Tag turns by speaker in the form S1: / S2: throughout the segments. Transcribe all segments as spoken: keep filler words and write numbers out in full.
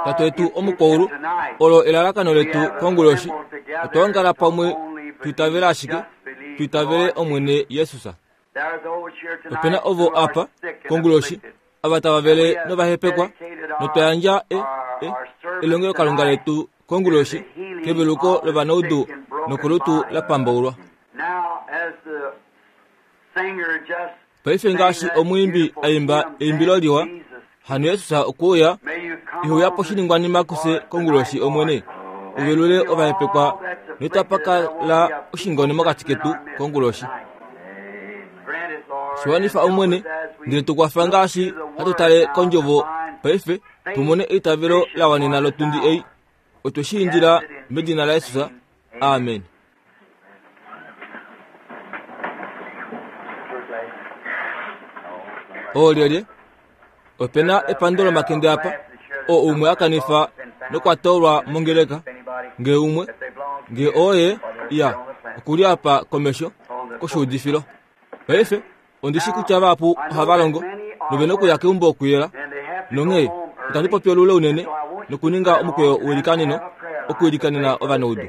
S1: Tate wetu omukwaulu, olo elalakano letu konguloshi, otwa ongala pamwe tuitavele ashike, tuitavele Omwene Jesus. Opena ovo apa konguloshi ava tava vele novahepekwa, notwa yandja e, e, elongelokalunga letu konguloshi keveluko lovanaudu nokolutu la pambaulwa. Paife ngaashi omwiimbi aimba eimbilo liwa, hano Jesus okuuya, iheuya poshiningwanima kufye konguloshi Omwene, uvelule ovahepekwa notapa kala oshingone mokati ketu konguloshi. Shiwanifa Omwene, ndele tukwafa ngaashi hatu tale kondjovo paife, tumone eitavelo la wanena lotundi ei. Otwe shi indila medina laJesus. Amen. Oolyelye? Opena epando lomakende apa, oo umwe a kanifa nokwa toolwa mongeleka. Nge umwe, nge oye, ya, okuli apa komesho koshuudifilo. Paife, ondi shi kutya vahapu ohava longo, nove nokuya keumbo okuyela, nonghee itandi popi olule unene nokuninga omukweyo welikaneno okuilikanena ovanaudu.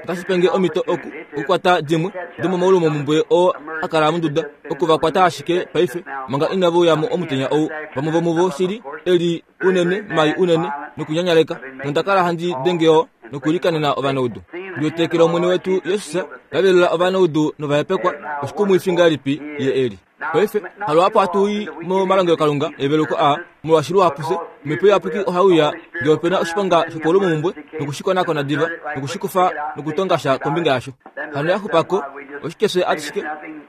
S1: Otashi penge omhito oku okukwata dimwe domomaulumomumbwe oo a kala monduda, oku va kwata ashike paife manga inava uya mo omutenya ou. Vamwe vomuvo shili eli unene mai unene nokunyanyaleka, nonda kala handi denge oo nokuilikanena ovanaudu. Ndiwetekele Omwene wetu Jesus la velula ovanaudu novahepekwa, oshikumwifi ngahelipi ye eli. Paife haluhapu hatu i momalongelokalunga eveluko a, molwaashi luhapu fye omhepo iyapuki ohai uya ngee opena oshiponga shopaulumomhumbwe nokushikonakona diva nokushikufa nokutonga sha kombinga yasho. Hano ya xupako oshike fye atushike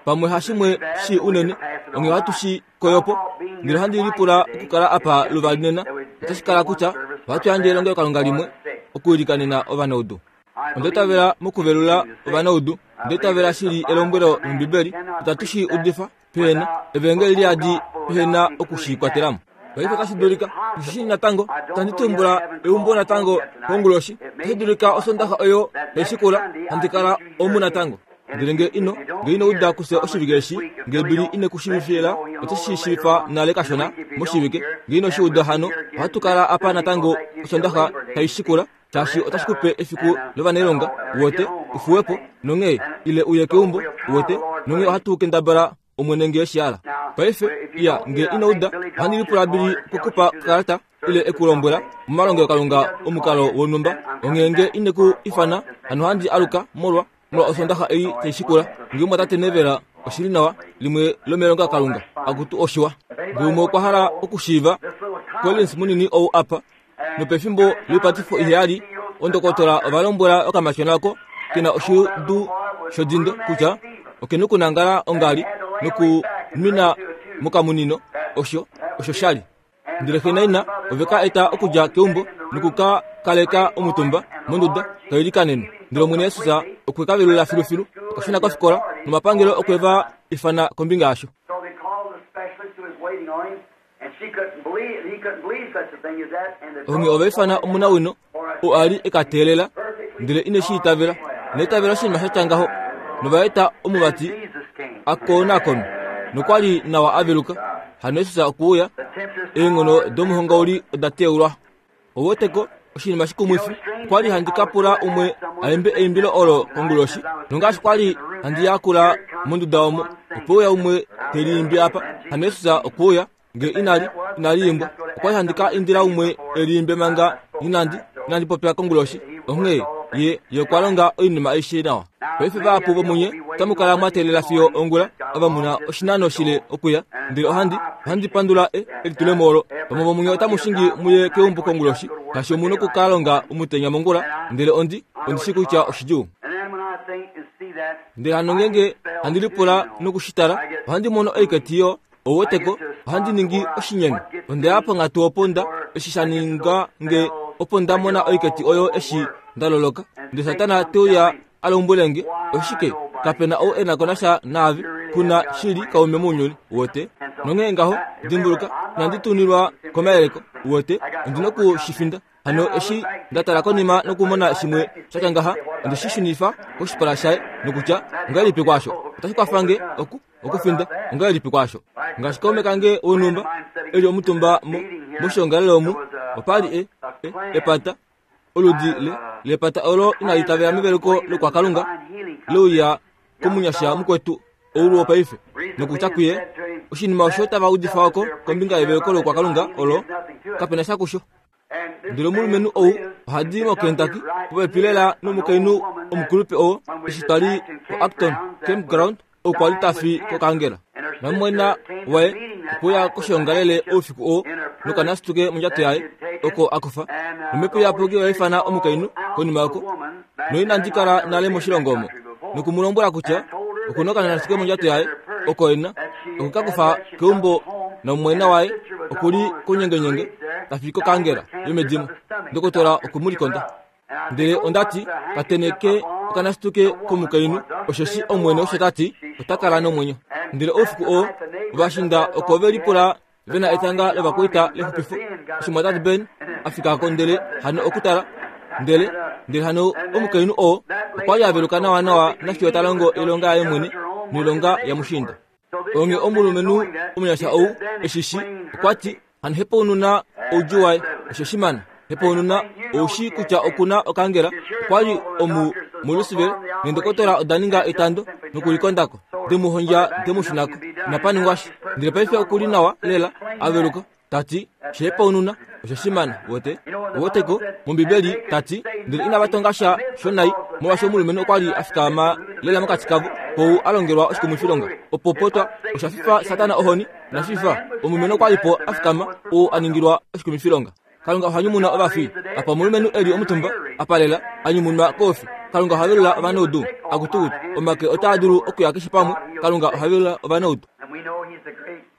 S1: pamwe hashimwe shii unene, onghee ohatu shi koyopo. Ndele ohandi lipula okukala apa luvali nena, otashi kala kutya ohatu yandje elongelokalunga limwe okuilikanena ovanaudu. Onda itavela mokuvelula ovanaudu, onda itavela shili elombwelo lOmbibeli, itatu shi udifa pehena evangeli liyadi pehena oku shi kwatelamo. Paife otashi dulika ndishi natango tandi tumbula eumbo natango konguloshi, otashi dulika osondaxa oyo taishikula handi kala omu natango. Ndele nge ino nge ino uda kufye oshivike eshi, nge Bili ine ku shiivifila, otashi shi shiivifa nale kashona moshivike. Nge ino shi uda hano, ohatu kala apa natango osondaxa taishikula, shaashi otashi kupe efiku lovanailonga wote ufuwepo nonghee ile uye keumbo wote nonghee ohatu kendabala Omwene nge shi hala. Paife iya nge ino uda, ohandi lipula Bili okukupa okalata ile ekulombwela momalongelokalunga omukalo wonhumba, onghee nge ine ku ifana hano handi aluka molwa molwa osondaxa ei taishikula. Nge omwatate Nevela oshili nawa limwe lomelongelokalunga akutu oshiwa. Nge umwe okwa hala okushiiva Collins munini ou apa, nopefimbo loipatifo iheyali ondokotola ova lombwela okamatyona oko kena oshidu shodindo kutya okena okunangala ongali nokunwina mokamunino, osho osho shali. Ndele xe naina ove ka eta okudja keumbo noku ka kaleka omutumba monduda kailikanenwe. Ndele Omwene Jesus okwe ka velula filufilu, okwa shuna kofikola nomapangelo okwe va ifana kombinga yasho. Onghee ova ifana omunawino oo a li e ka teelela, ndele ine shi itavela. Ina itavela oshinima sha tya ngaho, nova eta omuvati a konakonwe, nokwa li nawa a veluka. Hano Jesus okwe uya, eenghono domuhongauli oda teulwa. Ou weteko oshinima shikumwifi, okwa li handi ka pula umwe a imbe eimbilo olo konguloshi, nongaashi kwa li handi yakula monduda omo, ope uya umwe te liimbi apa. Hano Jesus okwe uya, nge inali inali imbwa, okwa li handi ka indila umwe e liimbe manga inandi inandi popya konguloshi. Onghee ye ye okwa longa oinima aishe nawa. Paife vahapu vomunye otamu kala mwa teelela fiyo ongula, ava mu na oshinano shile okuya, ndele ohandi ohandi pandula e elitulemo olo. Vamwe vomunye otamu shingi muye keumbo konguloshi, shaashi omu noku ka longa omutenya mongula, ndele ondi ondi shi kutya oshidjuu. Ndele hano ngeenge handi lipula noku shi tala, ohandi mono oiketi yo ou weteko, ohandi ningi oshinyenu. Onda ya ponghatu opo nda eshi sha ninga nge opo nda mona oiketi oyo eshi nda loloka. Ndele Satana te uya a lombwele nge, oshike, kape na ou e na ko nasha naave, ku na shili kaume mounyuni, wote. Nonghee ngaho, dimbuluka, inandi tunilwa komayeleko, wote, ondi noku shi finda. Hano eshi nda tala konima nokumona shimwe sha tya ngaha, onde shi shunifa koshipala shaye nokutya, ongahelipi kwaasho? Otashi kwafa nge oku okufinda, ongahelipi kwaasho? Ngaashi kaume kange wonhumba eli omutumba moshiongalele omu, opa li e, e, epata oludi le lepata olo inali itavela meveluko lokwakalunga leuya komunyasha mukwetu oulu wopaife nokutya kuye oshinima osho tava udifa oko kombinga yeveluko lokwakalunga olo kapena sha kusho. Ndele omulumenhu ou ohadi moKentucky popepi lela nomukainhu omukulupe oo eshi twali koActon Campground okwa li tafi kokangela. Namumwena waye okuya koshiongalele oufiku oo nokanasituke mondjato yaye oko akufa. Nomhepo iyapuki oya ifana omukainhu konima oko noinandi kala nale moshilongo omo nokumulombwela kutya okuna okanasituke mondjato yaye oko ena okukakufa keumbo namumwena waye okuli konyengenyenge tafi kokangela yomedimo. Ndokotola okumulikonda. Ndele ondati kateneke okanasituke komukainhu osheshi omwene osho tati ota kala nomwenyo. Ndele oufiku oo ovashinda oko ve lipula vena etanga lovakwaita lexupifo. Eshi mwatate Ben afika ko ndele hano okutala ndele ndele hano omukainhu oo okwa li aveluka nawa nawa nafiyo ta longo oilonga yaye mwene noilonga yamushinda. Onge omulumenhu omunyasha ou eshishi okwa ti hano hepaununa oudjuu waye osho shimana. Hepaununa oushi kutya okuna okangela okwa li omu muLouisville neendokotola oda ninga etando nokulikondako demuhondja demushunako inapaningwa sha. Ndele paife okuli nawa lela aveluka tati shehepaununa osho shimana wote woteko mombibeli tati ndele inava tonga sha shonai molwaashi omulumenhu okwa li afikama lela mokati kavo kou alongelwa oshikumwifilonga opo potwa osha fifa Satana ohoni nashifa omulumenhu okwa li po afikama ou aningilwa oshikumwifilonga. Kalunga oha nyumuna ovafi apa omulumenhu eli omutumba apalela anyumunwa koufi. Kalunga oha velula ovanaudu akutukutu omake otaa dulu okuya keshe pamwe. Kalunga oha velula ovanaudu.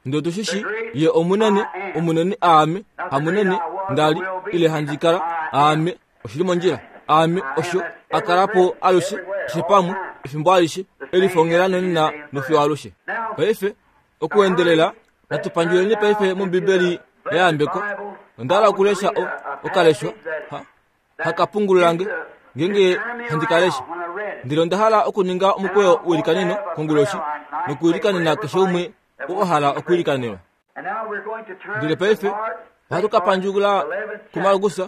S1: Ndele tushishi ye omunene omunene aame hamunene ndali ile handi kala aame oshili mondjila aame osho akalapo alushe keshe pamwe efimbo alishe elifongela nonena nofiyo alushe. Paife okuendelela natupandjuleni paife mombibeli yayambeko. Onda hala okulesha okaleshwa hakapungululange ngenge handi kalesha. Ndele onda hala okuninga omukweyo welikaneno konguloshi nokuilikanena keshe umwe oo hala okuilikanelwa. Ndele paife ohatu ka pandjula kuMarkus,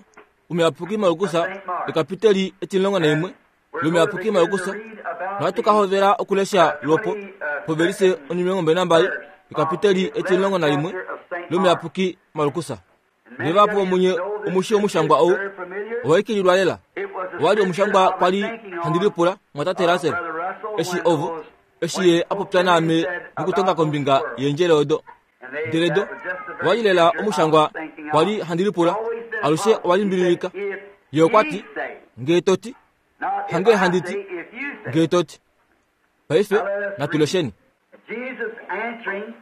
S1: omuyapuki Markus ekapiteli etimulongo naimwe lomuyapuki Markus, nohatu ka hovela okulesha lwopo povelise onimilongo mbali nambali ekapiteli etimulongo nalimwe lomuyapuki Markus. Ndele vahapu vomunye omushi omushangwa ou owaikililwa lela. Owali omushangwa kwali handi lipula mwatate Russell eshi ovo eshi ye apopya naame nokutonga kombinga yendjele odo. Ndele do owali lela omushangwa kwali handi lipula alushe owali mbililika. Ye okwa ti ngee toti hange handi ti ngee toti. Paife natulesheni.
S2: Jesus answering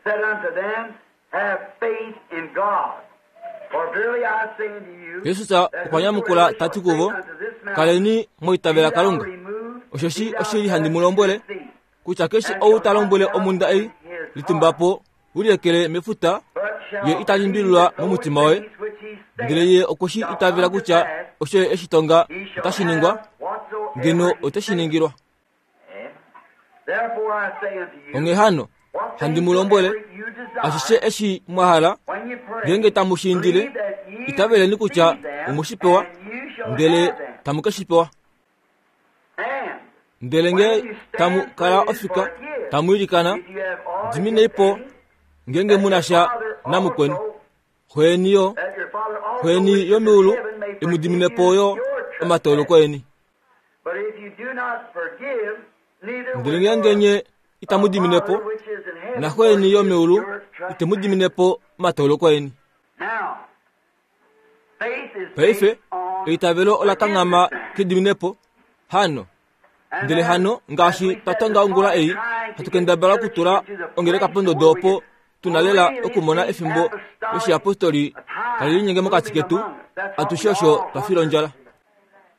S2: said unto them, Have faith in God. For verily I say unto you,
S1: Jesus okwa nyamukula tati kuvo, kaleni moitavela Kalunga. Osheshi oshili handi mu lombwele kutya keshe ou ta lombwele omunda ei litumbapo uliekele mefuta ye ita limbililwa momutima waye, ndele ye okweshi itavela kutya osho ye eshi tonga otashi ningwa, ngeno oteshi ningilwa.
S2: Therefore I say unto you,
S1: Onghee hano handi mu lombwele ashishe eshi mwa hala ngenge tamu shi indile, itaveleni kutya omushipewa, ndele tamu ke shi pewa. Ndele nge tamu kala ofika tamu ilikana, diminei po ngenge muna sha namukweni. Xweni yo, xweni yomeulu imudimine po yo omatooloko eni.
S2: But if you do not forgive, neither
S1: Ndele
S2: will
S1: ngenge
S2: your
S1: nye itamu dimine po,
S2: Father which is in heaven
S1: na xweni yomeulu
S2: forgive your
S1: itemu dimine po omatooloko eni.
S2: Now, faith is
S1: Paife
S2: based on
S1: eitavelo ola kanghama kediminepo hano. Ndele hano ngaashi twa tonga ongula ei hatu kendabala okutula ongeleka pondodo opo tuna lela okumona efimbo loshiapostoli tali linyenge mokati ketu, atushe osho twa fila ondjala.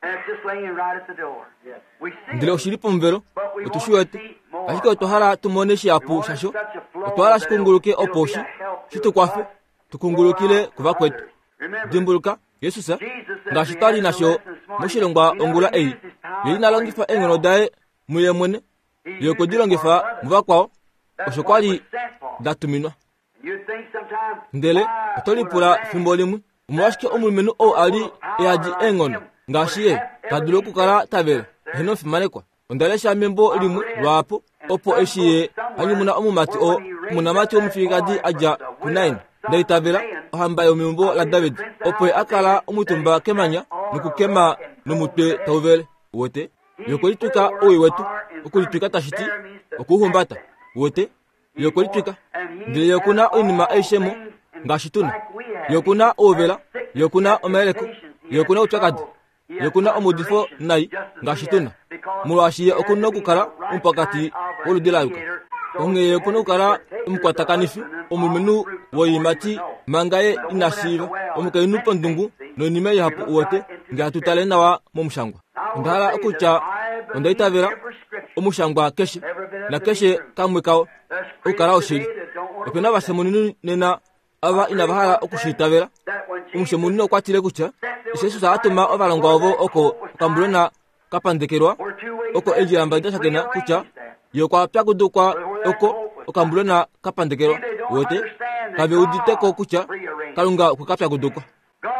S2: And it's just laying right at the door. We see
S1: Ndele
S2: it,
S1: oshili pomuvelo
S2: but we
S1: otu shi
S2: want to
S1: wete,
S2: see more.
S1: ashike otwa hala tumone shihapu shasho. Otwa hala shikunguluke opo shi shi tu kwafe tukungulukile kuvakwetu.
S2: Remember,
S1: Dimbuluka Jesus ngaashi twali nasho moshilongwa ongula ei, ye ina longifa eenghono daye muye mwene, ye okwe di longifa muvakwao. Osho kwa li da tuminwa. Ndele oto lipula fimbo limwe, omolwashike omulumenhu ou a li e yadi eenghono ngaashi ye ta dulu okukala ta vele eheno fimanekwa. Onda lesha membo limwe lwaapo opo eshi ye hanyumuna omumati oo omunamati womufilikadi a dja kuNain, ndaitavela ohamba yomeumbo laDavid, opo ye a kala omutumba kemanya nokukema nomutwe tau vele. Wote ye okwe litwika owii wetu, okulitwika tashi ti okuuhumbata. Wote ye okwe litwika, ndele ye okuna oinima aishe mo ngaashi tuna. Ye okuna ouvela, ye okuna omayeleko, ye okuna oupyakadi, ye okuna omaudifo nai ngaashi tuna, molwaashi ye okuna okukala omupakati woludi la yuka. Onghee ye okuna okukala omukwatakanifi, omulumenhu woiimati manga ye ina shiiva, omukainhu pondungu noinima ihapu. Uwete nge hatu tale nawa momushangwa. Onda hala okutya onda itavela omushangwa keshe nakeshe kamwe kao okukala oshili. Opena ovashemunini nena ava inava hala okushiitavela. Omushemunini okwa tile kutya eshi Jesus a tuma ovalongwa ovo oko okambulona ka pandekelwa oko eendjila mbali da shakena, kutya ye okwa pyakudukwa oko okambulona ka pandekelwa. Wote kave uditeko kutya Kalunga okwe ka pyakudukwa.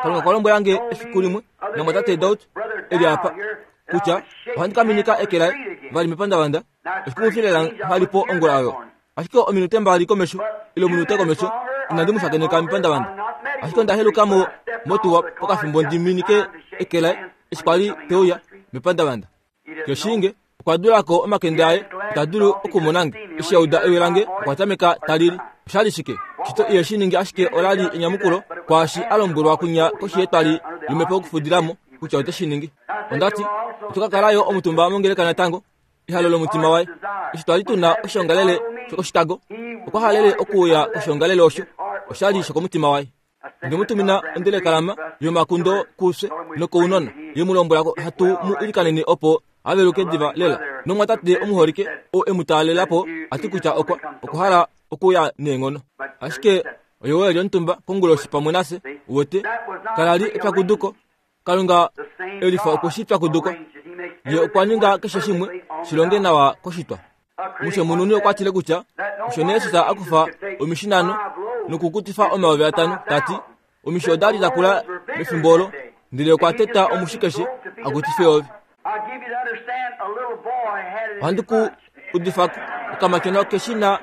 S1: Kalunga okwa lombwela nge efiku limwe namwatate Daud eli apa kutya ohandi ka minika eke laye vali mepandavanda. Oshikumwifi lela nghalipo ongula oyo, ashike ominute mbali komesho ile ominute komesho inandi mu shakeneka mepandavanda, ashike onda heluka mo motuwa pokafimbo ndi minike eke laye eshi kwali teuya mepandavanda. Keshinge okwa dulako omakende aye, ita dulu okumona nge. Eshi auda ewi lange okwa tameka ta lili. Oshali shike? Shito iye shi ningi, ashike ola li enyamukulo kwaashi a lombwelwa kunya koshi yetwali lomhepo okufudilamo kutya ote shi ningi. Onda ti oto ka kala yo omutumba mongeleka natango. Ehalo lomutima waye eshi twali tuna oshiongalele shokoshitago, okwa halele okuuya koshiongalele osho oshali shokomutima waye. Onde mu tumina ondelekalama yomakundo kufye nokounona, ye mu lombwela hatu mu ilikanene opo a veluke diva lela. Nomwatate omuholike oo e mu taalela po a ti kutya okwa okwa hala okuya neenghono, ashike oye weli omutumba konguloshi pamwe nafye. Wote kala li epyakuduko. Kalunga elifa okwe shi pyakudukwa. Ye okwa ninga keshe shimwe shilonge nawa koshitwa. Omushemununi okwa tile kutya osho nee Jesus a kufa omishinano nokukutifa omayovi atano, ta ti omishi oda li da kula mefimbo olo, ndele okwa teta omushi keshe a kutife eyovi. Ohandi ku udifako okamatyona keshina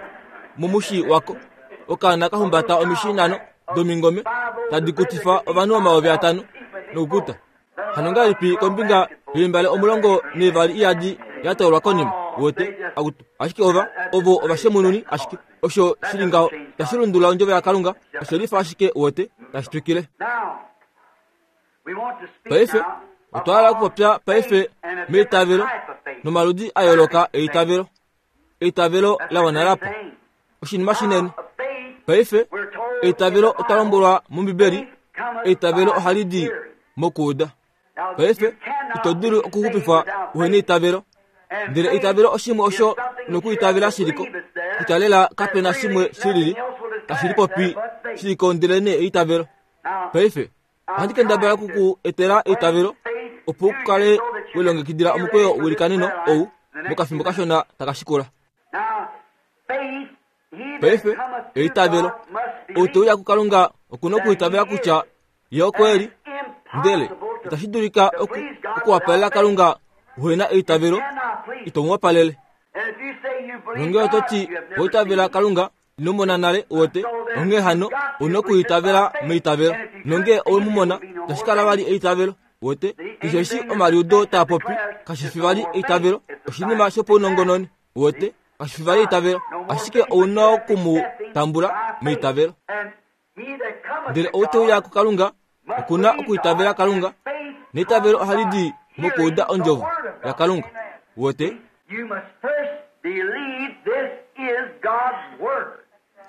S1: momushi wako, okaana ka humbata omishi nhano domingome tadi kutifa ovanhu omayovi atano nokukuta. Hano ngahelipi kombinga yoimbale omulongo neevali iyadi ya toolwa konima? Wote ashike ova ovo ovashemununi, ashike osho shili ngaho tashi lundulula ondjovo yaKalunga, oshe lifa ashike. Wote tashi twikile. Paife otwa hala okupopya paife meitavelo nomaludi a yooloka eitavelo. Eitavelo la wana lapo oshinima shinene. Paife eitavelo otwa lombwelwa mOmbibeli, eitavelo ohali di mokuuda. Paife ito dulu okuxupifwa uhe neitavelo, ndele eitavelo oshimwe osho nokuitavela shiliko kutya lela kapena shimwe shilili tashi lipopi shiliko ndele nee eitavelo. Paife ohandi kendabala okuku etela eitavelo opo u kale welongekidila omukweyo welikaneno ou mokafimbo kashona taka shikula. Paife eitavelo, ou te uya kuKalunga okuna okuitavela kutya ye oko eli, ndele itashi dulika okuwapalela Kalunga uhena eitavelo, ito mu wapalele. Nonge oto ti oitavela Kalunga ino mona nale, wote onghee hano ouna okuitavela meitavelo. Nonge owe mu mona, itashi kala vali eitavelo. Wote keshe eshi omaliudo taa popi kashi fi vali eitavelo, oshinima shopaunongononi. Wote kashi fi vali eitavelo, ashike ouna oku mu tambula meitavelo. Ndele ou te uya kuKalunga okuna okuitavela Kalunga, neitavelo ohali di mokuuda ondjovo yaKalunga. Wote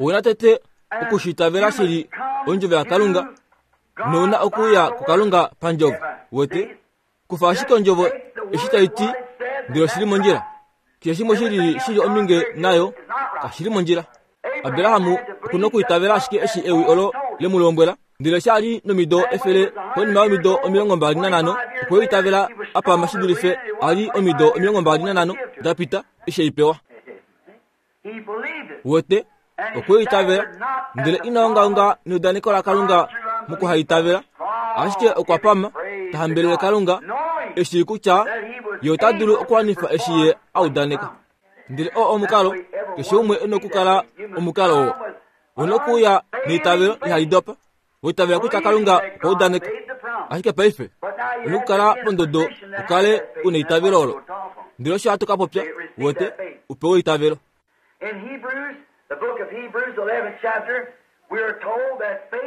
S1: ouna tete okushiitavela shili ondjovo yaKalunga, nouna okuuya kuKalunga pandjovo. Wote kufa ashike ondjovo eshi tai ti, ndele oshili mondjila. Keshe shimwe shilili shili ominge nayo kashili mondjila. Abrahamu okuna okuitavela ashike eshi ewi olo le mu lombwela, ndele eshi a li nomido efele konima yomido omilongo mbali nanhano okwe itavela apama shi dulife a li omido omilongo mbali nanhano da pita eshi ei pewa. Wete okweitavela ndele inaongaonga neudaneko laKalunga mokuhaitavela, ashike okwa pama tahambelele Kalunga eshi kutya ye ota dulu okuwanifa eshi ye audaneka. Ndele oo omukalo keshe umwe ena okukala omukalo oo una okuuya neitavelo ihali dopa, weitavela kutya Kalunga okwa udaneka. Ashike paife una okukala pondodo ukale una eitavelo olo. Ndele osho hatu ka popya wote upewe eitavelo.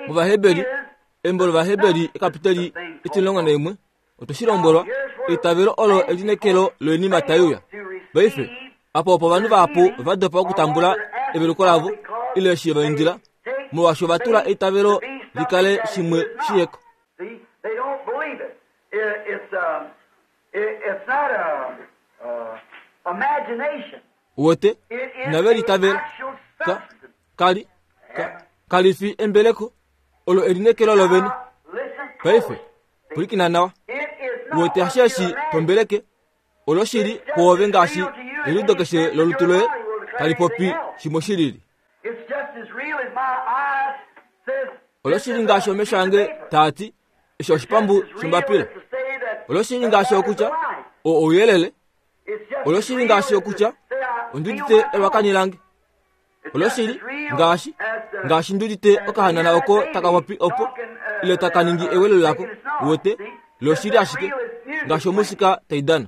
S1: MOvaheberi, embo lOvaheberi ekapiteli etimulongo naimwe, otwe shi lombwelwa eitavelo olo elinekelo loinima tai uya. Paife apo opo ovanhu vahapu va dopa okutambula eveluko lavo ile eshi va indila, molwaashi ova tula eitavelo likale shimwe shiyeko. Wote inave litavela ka kali ka kalifi embeleko olo elinekelo lovene. Paife pwilikina nawa. Wote hasheshi tombeleke olo shili kwoove ngaashi eliudo keshe lolutu loye tali popi shimwe shilili. Olo shili ngaashi omesho ange taati eshi oshipambu shombapila. Olo shili ngaashi okutya o ouyelele. Olo shili ngaashi okutya ondudite elwakani lange. Olo shili ngaashi ngaashi ndudite okahanana oko taka popi opo ile taka ningi ewelo lako. Wote lo shili ashike ngaashi omusika taidana.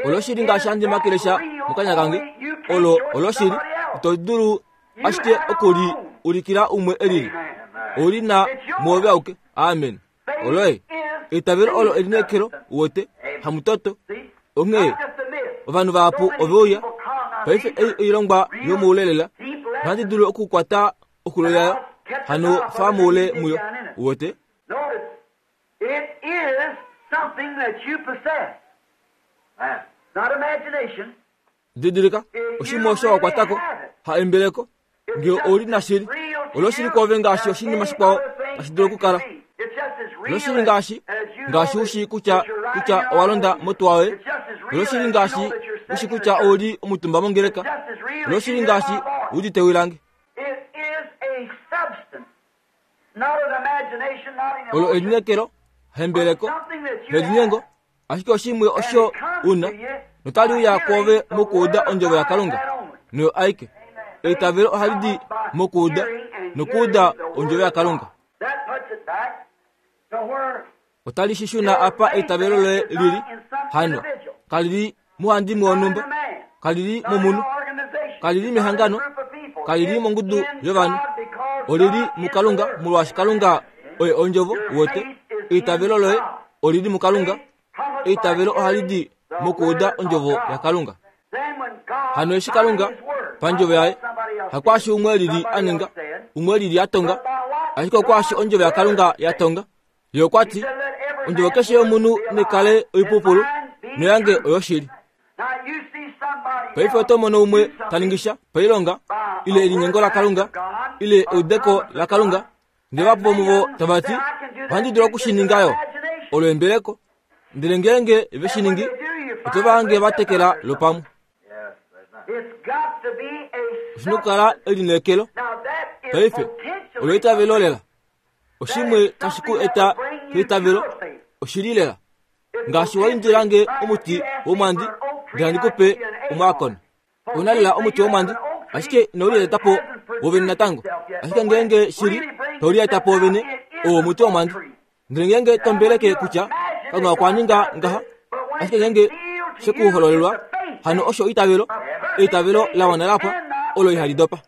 S1: Olo shili ngaashi handi makelesha mokanya kange. Olo olo shili ito dulu ashike okuli ulikila umwe elili. Oli na mwoove auke. Amen. Oloe eitavelo olo elinekelo wote hamutoto. Onghee ovanhu vahapu oveuya paife ei oilongwa yomoulelela ohandi dulu okukwata okulo yayo hano famoule muyo wote.
S2: It is something that you possess. Not imagination.
S1: Didilika oshimwe osho wakwatako ha embeleko ngee oli na shili olo shili kwoove ngaashi oshinima shikwao tashi dulu okukala. Olo shili ngaashi ngaashi ushi kutya kutya owa londa motuwa yoye. Olo shili ngaashi ushi kutya ouli omutumba mongeleka. Olo shili ngaashi udite wilange. Olo elinekelo hembeleko helinyengo ashike oshimwe osho una notali uya kwoove mokuuda ondjovo yaKalunga noyo aike. Eitavelo ohali di mokuuda nokuuda ondjovo yaKalunga. Otali shishuna apa eitavelo loye lili hano kalili muhandimwe wonhumba, kalili momunhu, kalili mehangano, kalili mongudu yovanhu. Olili muKalunga molwaashi Kalunga oye ondjovo. Wote eitavelo loye olili muKalunga. Eitavelo ohali di mokuuda ondjovo yaKalunga. Hano eshi Kalunga pandjovo yaye hakwaashi umwe lili aninga, umwe lili atonga, ashike okwaashi ondjovo yaKalunga yatonga. Ye okwa ti ondjovo keshe yomunhu nekale oipupulu noyange oyoshili. Paife oto mono umwe taningisha pailonga ile elinyengo laKalunga ile eudeko laKalunga, ndele vapo vomuvo tava ti ohandi dulu okushiningayo olo embeleko. Ndele ngeenge veshiningi oto vange vatekela lopamwe. Oshina okukala elinekelo. Paife olo eitavelo lela. Oshimwe tashi ku eta keitavelo oshili lela. Ngaashi wa indilange omuti womwandi ndele handi kupe omwaakona. Una lela omuti womwandi ashike inaulietapo wovene natango. Ashike ngeenge shili taulietapo wovene owo omuti womwandi. Ndele ngeenge tombeleke kutya Kalunga okwa ninga ngaha, ashike ngeenge shekuhololelwa hano osho eitavelo, eitavelo la wana lapwa olo ihali dopa.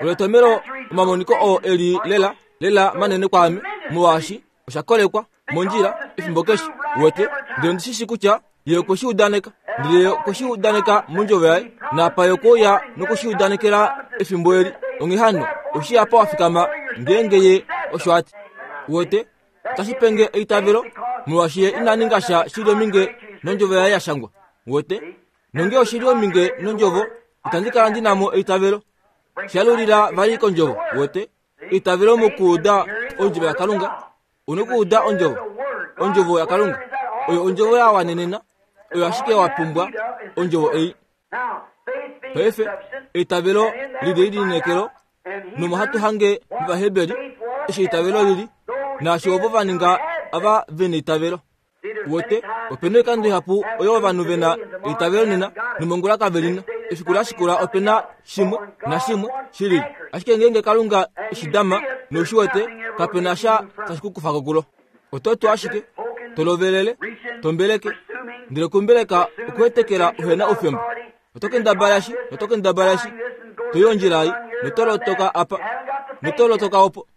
S1: Olo etomelo omamoniko oo eli lela lela manene kwaame molwaashi osha kolekwa mondjila efimbo keshe. Wote ndele ondishishi kutya ye okwe shi udaneka, ndele ye okwe shi udaneka mondjovo yaye, napa ye okwe noku shi udanekela efimbo eli. Onghee hano oshi apa wa fikama ngeenge ye osho ati. Wote tashi penge eitavelo molwaashi ye ina ninga sha shili ominge nondjovo yaye yashangwa. Wote nonge oshili ominge nondjovo itandi kala ndinamo eitavelo. Shalulila vali kondjovo. Wote eitavelo mokuuda ondjovo yaKalunga. Una okuuda ondjovo, ondjovo yaKalunga oyo ondjovo ya wanenena, Oyo ashike wa pumbwa ondjovo ei. Paife eitavelo lili elineekelo, nomo hatu hange mOvaheberi eshi eitavelo lili, naashi ovo va ninga ava vena eitavelo. Wete, opena oikando ihapu oyo ovanhu vena eitavelo nena nomongula kave lina. Efiku la shikula opena shimwe nashimwe shilili. Ashike ngeenge Kalunga eshi dama noushi wete, kapena sha tashi ku kufa ko kulo. Oto tu ashike, tolovelele, tombeleke, ndele kumbeleka okuhetekela uhena oufemba. Oto kendabala shi, oto kendabala shi, toyi ondjila ei, notolotoka apa, notolotoka opo.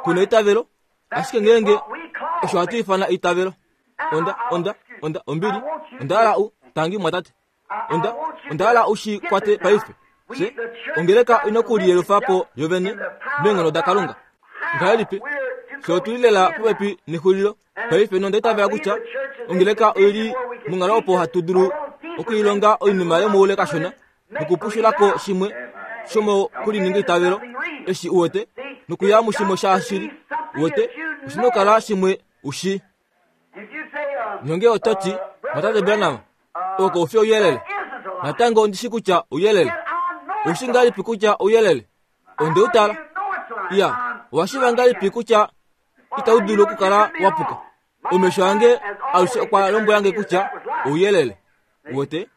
S1: Kuna eitavelo, ashike ngeenge osho hatu ifana eitavelo. Onda, onda, onda, ombili, onda hala u, tangi mwatate. Onda, onda hala u shi kwate paife. Se, ongeleka ina okuliyelufa po yovene meenghono daKalunga. Ngahelipi? Fye otuli lela popepi nexulilo paife, nonda itavela kutya ongeleka oili monghalo opo hatu dulu okuilonga oinima yomoule kashona nokupushulako shimwe shomokulininga eitavelo eshi uwete, nokuya mushimwe shashili uwete, oshina okukala shimwe ushi. Nonge ototi, mwatate Branham, oko ufi ouyelele. Natango ondishi kutya ouyelele. Oushi ngahelipi kutya ouyelele? Onde u tala. Iya, owashiiva ngahelipi kutya itau dulu okukala wa puka? Omesho ange alushe okwa lombwelange kutya ouyelele. Uwete?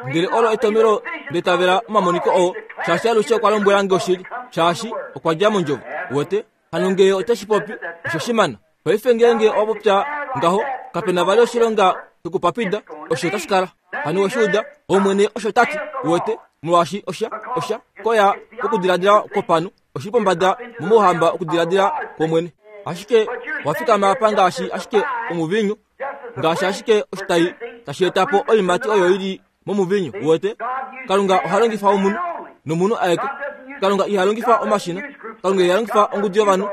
S1: Ndele olo etomelo letavela omamoniko oo, shaashi alushe okwa lombwelange oshili, shaashi okwa dja mondjovo. Uwete? Hano ngee oteshi popi, osho shimana. Paife ngeenge owa popya ngaho, kapena vali oshilonga shokupapida, osho tashi kala. Hano weshiuda, Omwene osho tati, uwete, molwaashi osha, osha koya kokudiladila kwopanhu, oshili pombada momouhamba okudiladila kwOmwene. Ashike wafikama apa ngaashi ashike omuvinyu, ngaashi ashike oshitai tashi eta po oiimati oyo ili momuvinyu, uwete. Kalunga oha longifa omunhu, nomunhu aeke. Kalunga iha longifa omashina, Kalunga iha longifa ongudu yovanhu,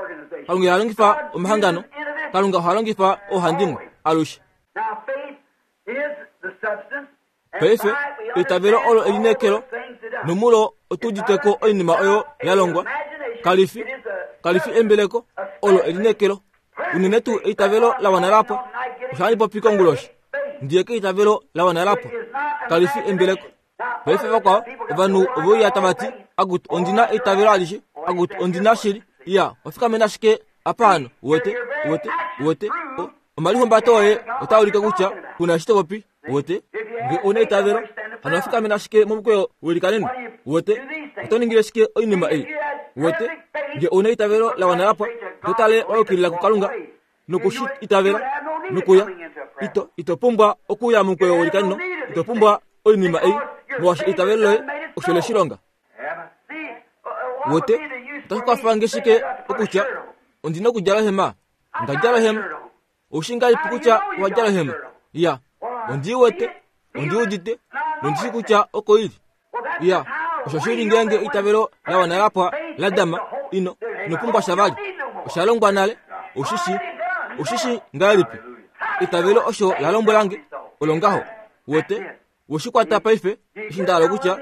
S1: Kalunga iha longifa omahangano, Kalunga oha longifa oohandimwe alushe. Paife eitavelo olo elineekelo, nomulo otu uditeko oinima oyo ya longwa. Kalifi, kalifi embeleko, olo elineekelo. Unene tuu eitavelo la wana lapwa. Osho handi popi konguloshi. Ndiye keitavelo la wana lapwa. Kalifi embeleko. Paife vakwao, ovanhu oveuya tava ti, Akutu, ondina eitavelo alishe. Akutu, ondina shili. Iya, wafikamena ashike apa hano, uwete, uwete, uwete. Omalihumbato oye otaa ulike kutya kuna eshi to popi, uwete. Nge una eitavelo, hano wafikamena ashike momukweyo welikaneno, uwete. Oto ningile shike oinima ei, uwete. Nge una eitavelo la wana lapwa, oto tale wa yukilila kuKalunga nokushi itavela nokuya. Ito, ito pumbwa okuya momukweyo welikaneno, ito pumbwa oinima ei, molwaashi eitavelo loye osho le shi longa. Uwete, otashi kwafa nge shike okutya ondina okudjala ohema? Onda djala ohema. Oushi ngahelipi kutya owa djala ohema? Iya, ondi wete, ondi udite, nondishi kutya oko ili. Iya, osho shili ngeenge eitavelo la wana lapwa la dama, ino, ino pumbwa sha vali. Osha longwa nale, oushi shi, oushi shi ngahelipi? Eitavelo osho la lombwelange, olo ngaho. Uwete, weshi kwata paife, eshi nda hala kutya,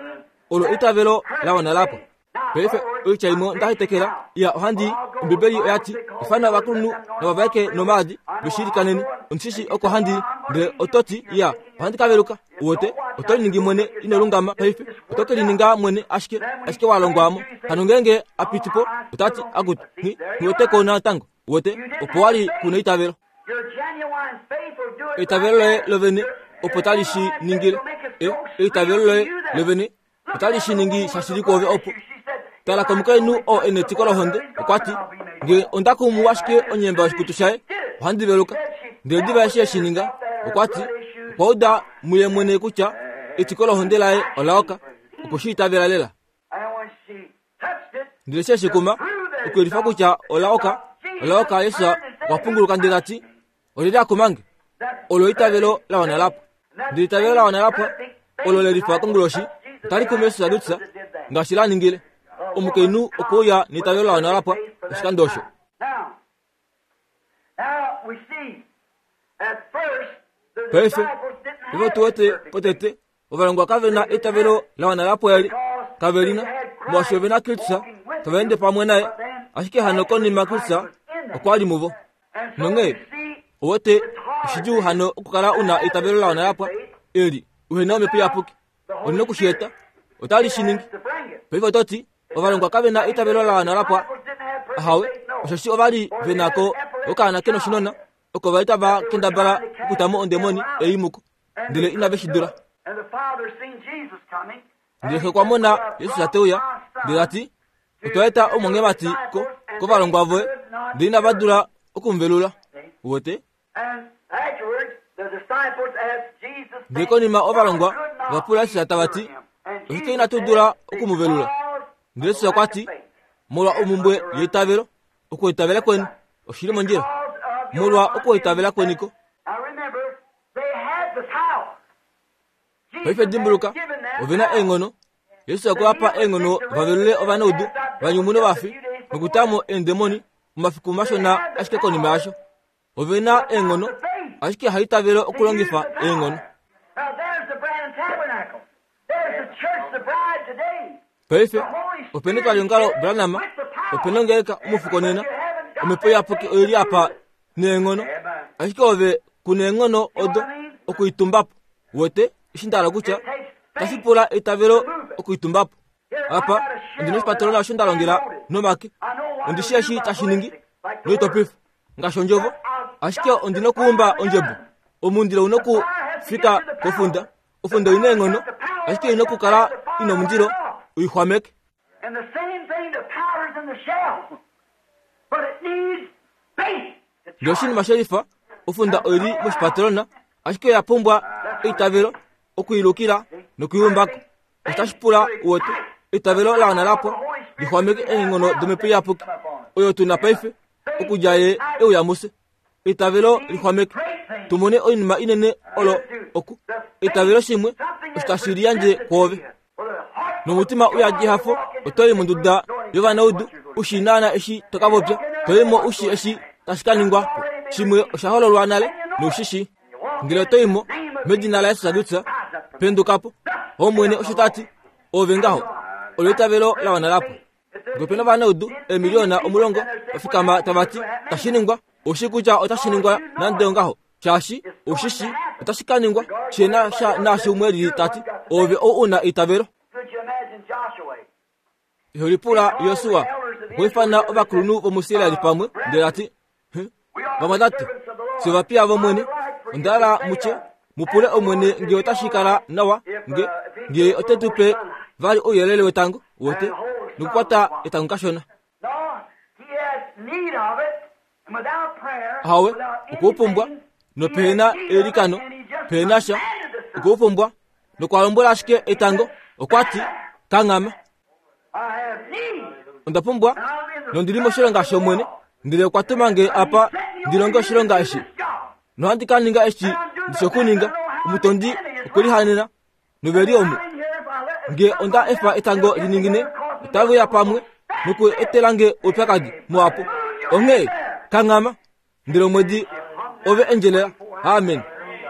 S1: olo eitavelo la wana lapwa. Paife oitya imwe nda hetekela, iya ohandi, Ombibeli oya ti, ifana ovakulunhu navavaeke nomaadi, veshilikaneni. Ondishi oko handi, ndele oto ti, iya, ohandi ka veluka. Uwete, oto liningi mwene ino lungama paife, oto ke lininga mwene ashike, ashike wa longwamo. Hano ngeenge a piti po, ota ti, akutu, nghi, nghiweteko natango. Uwete, opo wali kuna eitavelo. Eitavelo loye lovene opo tali shi ningile. E, eitavelo loye lovene otali shi ningi shashili kwoove opo. Tala komukainhu oo e netiko lohonde, okwa ti, nge onda kumu ashike onyemba yoshikutu shaye, ohandi veluka. Ndele diva eshi eshi ninga, okwa ti, okwa uda muye mwene kutya etiko lohonde laye ola oka, okwe shi itavela lela. Ndele eshi eshi kuma, okuyelifa kutya ola oka, ola oka, Jesus okwa punguluka ndele ta ti, olyelye a kumange? Olo eitavelo la wana lapwa. Ndele eitavelo la wana lapwa, olo le lifa konguloshi, otali kumu Jesus Lutsa, ngaashi la ningile. Omukainhu okwe uya neitavelo la wana lapwa oshikando osho. Paife, ovo tu wete potete, ovalongwa kave na eitavelo la wana lapwa eli, kave lina, molwaashi ove na Kristus tava ende pamwe naye, ashike hano konima Kristus okwa li muvo. Nonghee, uwete, oshidjuu hano okukala una eitavelo la wana lapwa, Eli uhena omhepo iyapuki oli nokushieta otali shi ningi. Paife oto ti ovalongwa kave na eitavelo la wana lapwa. Ahawe, osheshi ova li ve na ko okaana ke noshinona oko va li tava kendabala okutamo ondemoni ei muko, ndele inave shi dula. Ndele xe okwa mona Jesus te uya, ndele ta ti, otwa eta omwangemati ko kovalongwa voye, ndele inava dula okumuvelula. Uwete? Ndele konima ovalongwa va pula Jesus tava ti, oshike inatu dula okumuvelula? Ndele Jesus okwa ti, molwa omumbwe yeitavelo, okuitavela kweni oshili mondjila, molwa okuitavela kweniko. Paife dimbuluka, ove na eenghono. Jesus okwa pa eenghono va velule ovanaudu, va nyumune ovafi, nokutamo eendemoni momafiku mashona ashike konima yasho. Ove na eenghono, ashike haitavelo okulongifa eenghono. Paife opena etwaliongalo Branham, opena ongeleka omufuko nena, omhepo iyapuki oili apa neenghono, ashike ove kuna eenghono odo okuitumbapo. Wete eshi nda hala kutya tashi pula eitavelo okuitumbapo. Apa ondina oshipatolola osho nda longela nomake, ondi shii eshi tashi ningi noitopifa ngaashi ondjovo, ashike ondina okuumba ondjebo. Omundilo una okufika kofunda, ofunda oina eenghono, ashike oina okukala ina omundilo uixwameke. Ndele oshinima shelifa, ofunda oili moshipatolona, ashike oya pumbwa eitavelo okuilukila nokuiumbako. Otashi pula uwete eitavelo la wana lapwa lixwameke eenghono domhepo iyapuki oyo tuna paife okudja ye euya muse. Eitavelo lixwameke tumone oinima inene olo oku eitavelo shimwe osho tashi liyandje kwoove. Nomutima uyadi ehafo oto i monduda yovanaudu ushi naana eshi to ka popya, to i mo ushi eshi tashi ka ningwa po. Shimwe osha hololwa nale noushishi. Ngele oto i mo medina laJesus Kristus, penduka po. Omwene osho ta ti, ove ngaho olo eitavelo la wana lapwa. Ngele opena ovanaudu eemiliona omulongo va fikama tava ti tashi ningwa, oushi kutya otashi ningwa nande ongaho, shaashi oushishi otashi ka ningwa shi na sha naashi umwe lili ta ti, ove ou una eitavelo. Iho lipula Josua okwa ifana ovakulunhu vomuIsraeli pamwe, ndele ta ti, vamwatate, fye ovapiya vOmwene, onda hala mu tye, mu pule Omwene nge otashi kala nawa nge nge ote tu pe vali ouyelele wetango, wote nokukwata etango kashona. Ahawe, okwe u pumbwa, nopehena eilikano, pehena sha, okwe u pumbwa, nokwa lombwela ashike etango, okwa ti, kanghama. Onda pumbwa, nondi li moshilonga shOmwene, ndele okwa tuma nge apa ndi longe oshilonga eshi. Nohandi ka ninga eshi ndi shi okuninga. Omutondi okwe lihanena, nove li omu. Nge onda efa etango li ningine, otave uya pamwe noku etela nge oupyakadi muhapu. Onghee kanghama, ndele omwedi ove endjelela. Amen.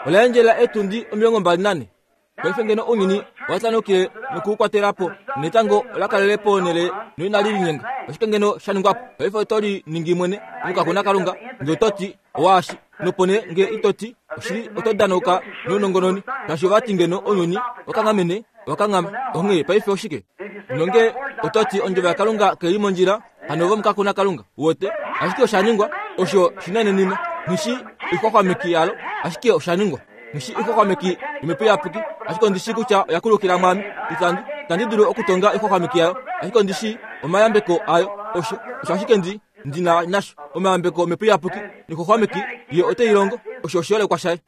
S1: Ola endjelela eetundi omilongo mbali nane. Paife ngeno ounyuni owa tanukile nokuukwatela po, netango ola kalele ponhele noinali linyenga, oshike ngeno sha ningwa po? Paife oto li ningi mwene omukakuna Kalunga, nge oto ti owaashi, nopo nee nge ito ti oshili, oto danauka nounongononi, shaashi ova ti ngeno ounyuni wakanghamene owakanghama. Onghee paife oshike? Nonge oto ti ondjovo yaKalunga kai li mondjila, hano ove omukakuna Kalunga, uwete? Ashike osha ningwa, osho shinenenima. Nghi ixwaxwameki yalo, ashike osha ningwa. Nghi ixwaxwameki yomhepo iyapuki, ashike ondi shii kutya oya kulukila mwaame. Itandi itandi dulu okutonga ixwaxwameki yayo, ashike ondi shii omayambeko ayo. Osho osho ashike ndi ndi na nasho, omayambeko omhepo iyapuki noixwaxwameki ye ote i longo. Osho oshiholekwa shaye.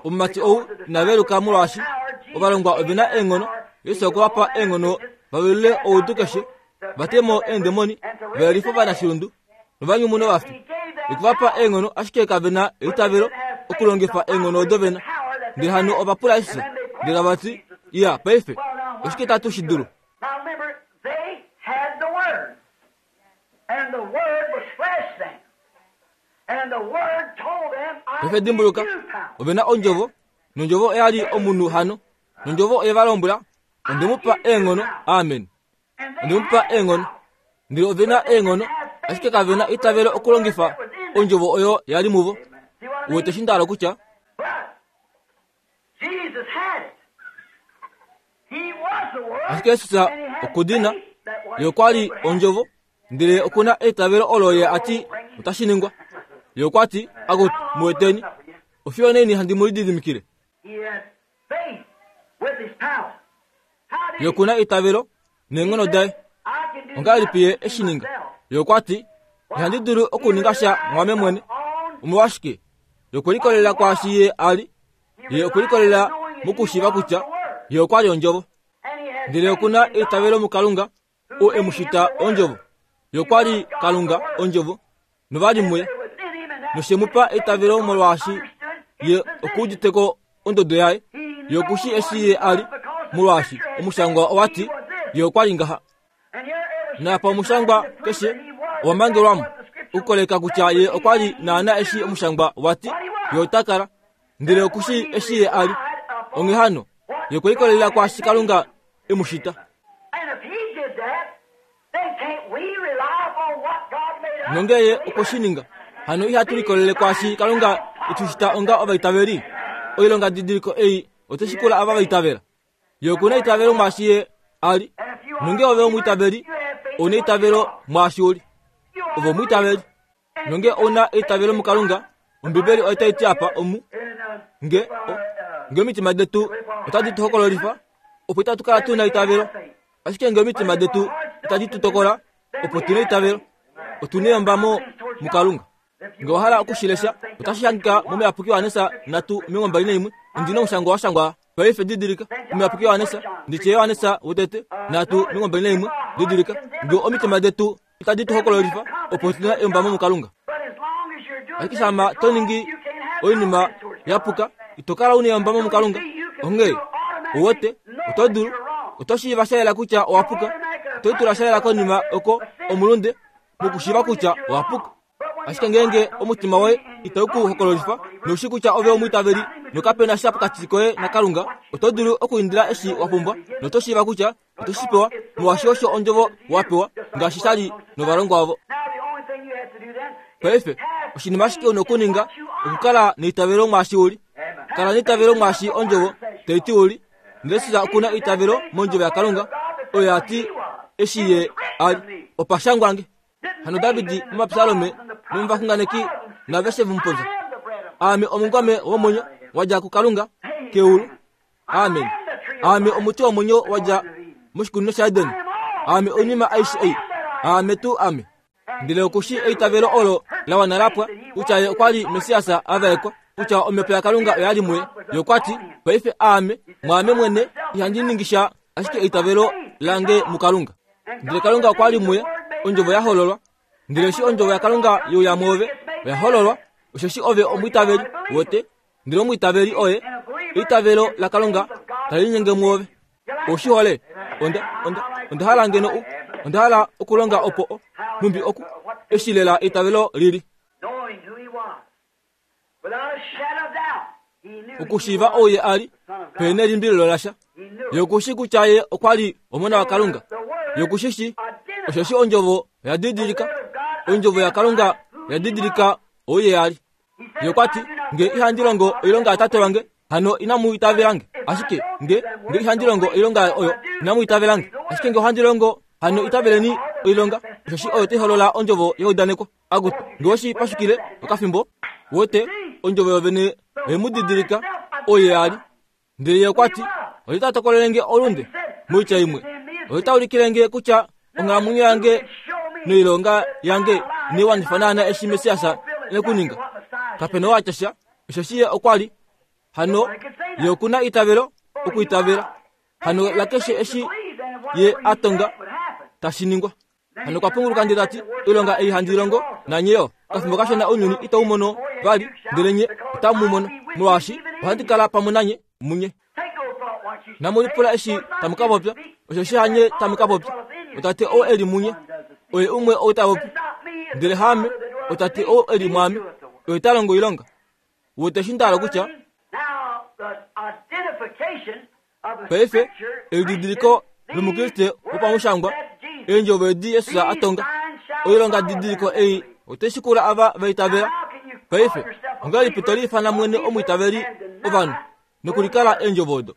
S1: Omumati ou ina veluka molwaashi ovalongwa ove na eenghono. Jesus okwe va pa eenghono va velule oudu keshe, va te mo eendemoni, va yelife ovanashilundu novanyumune ovafi. Okwe va pa eenghono, ashike kave na eitavelo okulongifa eenghono odo ve na. Ndele hano ova pula Jesus, ndele tava ti, iya, paife oshike tatu shi dulu? Paife dimbuluka, ove na ondjovo, nondjovo oya li omunhu hano, nondjovo oye va lombwela, onde mu pa eenghono. Amen. Onde mu pa eenghono. Ndele ove na eenghono, ashike kave na eitavelo okulongifa ondjovo oyo ya li muvo. Uwete eshi nda hala okutya? Ashike Jesus okudina ye okwa li ondjovo, ndele okuna eitavelo olo ye ati otashi ningwa. Ye okwa ti, akutu mu eteni, ofiyo neni handi mu lididimikile. Ye okuna eitavelo neenghono daye. Ongahelipi ye eshi ninga? Ye okwa ti, ihandi dulu okuninga sha mwame mwene. Omolwashike? Ye okwe likolelela kwaashi ye a li. Ye okwe likolelela mokushiiva kutya ye okwa li ondjovo. Ndele okuna eitavelo muKalunga oo e mu shita ondjovo. Ye okwa li Kalunga ondjovo, nova li muye. Noshe mu pa eitavelo molwaashi ye okuuditeko ondodo yaye. Ye okushi eshi ye a li, molwaashi omushangwa owa ti ye okwa li ngaha. Napa omushangwa keshe owa mangelwamo okukoleka kutya ye okwa li naana eshi omushangwa wa ti ye ota kala. Ndele okushi eshi ye a li. Onghee hano ye okwe likolelela kwaashi Kalunga e mu shita. Nonge ye okwe shi ninga, hano ihatu likolele kwaashi Kalunga e tu shita onga ovaitaveli. Oilonga didiliko ei otashi kula ava vaitavela. Ye okuna eitavelo mwaashi ye a li. Nonge ove omwiitaveli, ouna eitavelo mwaashi u li. Ove omwiitaveli. Nonge ouna eitavelo muKalunga, Ombibeli otai ti apa omu nge o, nge omitima detu otadi tu hokololifa, opo itatu kala tuna eitavelo. Ashike nge omitima detu itadi tu tokola, opo tuna eitavelo, otu na eyombamo muKalunga. Nge owa hala okushilesha, otashi hangika momuyapuki Johannes nhatu omilongo mbali naimwe. Ondi na omushangwa wa shangwa paife didilika. Omuyapuki Johannes, nditye Johannes wotete nhatu omilongo mbali naimwe, didilika. Nge omitima detu itadi tu hokololifa, opo tuna eyombamo muKalunga. Ashike shama to ningi oinima ya puka, ito kala una eyombamo muKalunga. Onghee owote oto dulu oto shiiva sha yela kutya owa puka, oto tula sha yela konima oko omulunde mokushiiva kutya owa puka. Ashike ngeenge omutima woye itau ku hokololifa noushi kutya ove omwiitaveli nokapena sha pokati koye naKalunga, oto dulu okuindila eshi wa pumbwa noto shiiva kutya oto shi pewa, molwaashi osho ondjovo wa pewa, ngaashi sha li novalongwa ovo. Paife oshinima ashike una okuninga okukala neitavelo mwaashi u li. Kala neitavelo mwaashi ondjovo tai ti u li. Ndele Jesus okuna eitavelo mondjovo yaKalunga oyo ya ti eshi ye a li. Opa shangwa nge. Hano David momapsalome nomovaxunganeki naveshe vomupopya, Aame omungome womwenyo wa dja kuKalunga keulu. Amen. Aame omuti womwenyo wa dja moshikunino shaEden. Aame oinima aishe ei. Aame tuu ame. Ndele okushi eitavelo olo la wana la pwa, kutya ye okwa li Messias a vaekwa, kutya omhepo yaKalunga oya li muye. Ye okwa ti, paife aame, mwaame mwene ihandi ningi sha, ashike eitavelo lange muKalunga. Ndele Kalunga okwa li muye, ondjovo ya hololwa. Ndele eshi ondjovo yaKalunga ye uya mwoove, oya hololwa, osheshi ove omwiitaveli wote. Ndele omwiitaveli oye eitavelo laKalunga tali linyenge mwoove. Oushi hole? Onda, onda, onda hala ngeno u, onda hala okulonga opo o, nhumbi oku, eshi lela eitavelo lili. Okushiiva ou ye a li, pehena nelimbililo lasha. Ye okushi kutya ye okwa li omona waKalunga. Ye okushi shi, osheshi ondjovo oya didilika, ondjovo yaKalunga oya didilika ou ye a li. Ye okwa ti, nge ihandi longo oilonga yatate wange, hano inamu itavela nge. Ashike nge, nge ihandi longo oilonga oyo, inamu itavela nge. Ashike nge ohandi longo, hano itaveleni oilonga, osheshi oyo tai holola ondjovo yeudaneko. Akutu, nge oshi pashukile okafimbo, wote ondjovo yovene oye mu didilika oye a li. Ndele ye okwa ti, oye ta tokolele nge olunde, moitya imwe, oye ta ulikile nge kutya onghalamwenyo yange noilonga yange inai wanifa naana eshi Messias e kuninga. Kapena oo a tya sha, osheshi ye okwa li. Hano ye okuna eitavelo okuitavela. Hano lakeshe eshi ye a tonga tashi ningwa. Hano okwa punguluka ndele ta ti, oilonga ei handi longo nanye yo, okafimbo kashona ounyuni itau mono vali, ndele nye otamu mu mono, molwaashi ohandi kala pamwe nanye munye. Inamu lipula eshi tamu ka popya, osheshi hanye tamu ka popya. Otate ou e li munye, oye umwe ou ta popi. Ndele haame, otate ou e li mwaame, oye ta longo oilonga. Wete eshi nda hala kutya? Paife, elididiliko lomukriste wopamushangwa, eendjovo edi Jesus a tonga, oilonga didiliko ei otai shikula ava va itavela. Paife, ongahelipi to liifana mwene omwiitaveli ovanhu nokulikala eendjovo odo?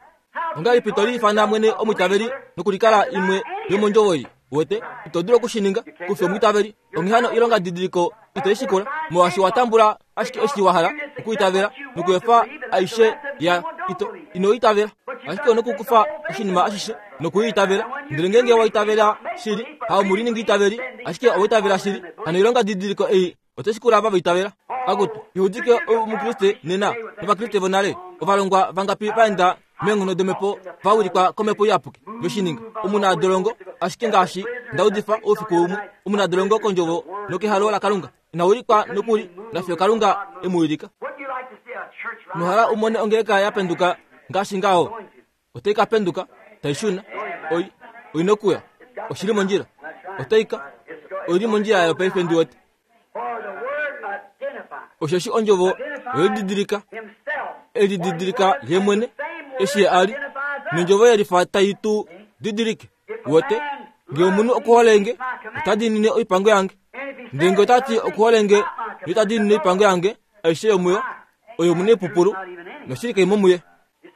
S1: Ongahelipi to liifana mwene omwiitaveli nokulikala imwe yomondjovo ei? Wete, ito dulu okushininga, kufi omwiitaveli. Onghee hano ilonga didiliko ito i shikula, molwaashi wa tambula ashike eshi wa hala okuitavela nokuefa aishe ya ito ino itavela. Ashike onokukufa oshinima ashishe nokuiitavela. Ndele ngeenge wa itavela shili, haumu liningi itaveli, ashike owa itavela shili, hano ilonga didiliko ei ote shikula ava vaitavela. Akutu, ihudike omukriste nena novakriste vonale, ovalongwa vangapi vaenda meenghono domhepo vawilikwa komhepo iyapuki veshininga. Omunadolongo ashike ngaashi ndaudifa oufiku umwe, omunadolongo kondjovo nokehalo laKalunga ina wilikwa nokuli nafiyo Kalunga emuwilika. Nohala umone ongeleka ya penduka ngaashi ngaho, otai ka penduka tai shuna. Oi oina okuya, oshili mondjila, otai ka oili mondjila yayo paife ndi wete. Osheshi ondjovo oyelididilika, elididilika ye mwene eshi ye ali, nondjovo yelifa tai tu didilike. Wete, ngee omunhu okuholenge ota diinine oipango yange, ndele ngee ota ti okuholenge noita diinine oipango yange aishe yomuyo, oyo omunaipupulu noshili kai mo muye.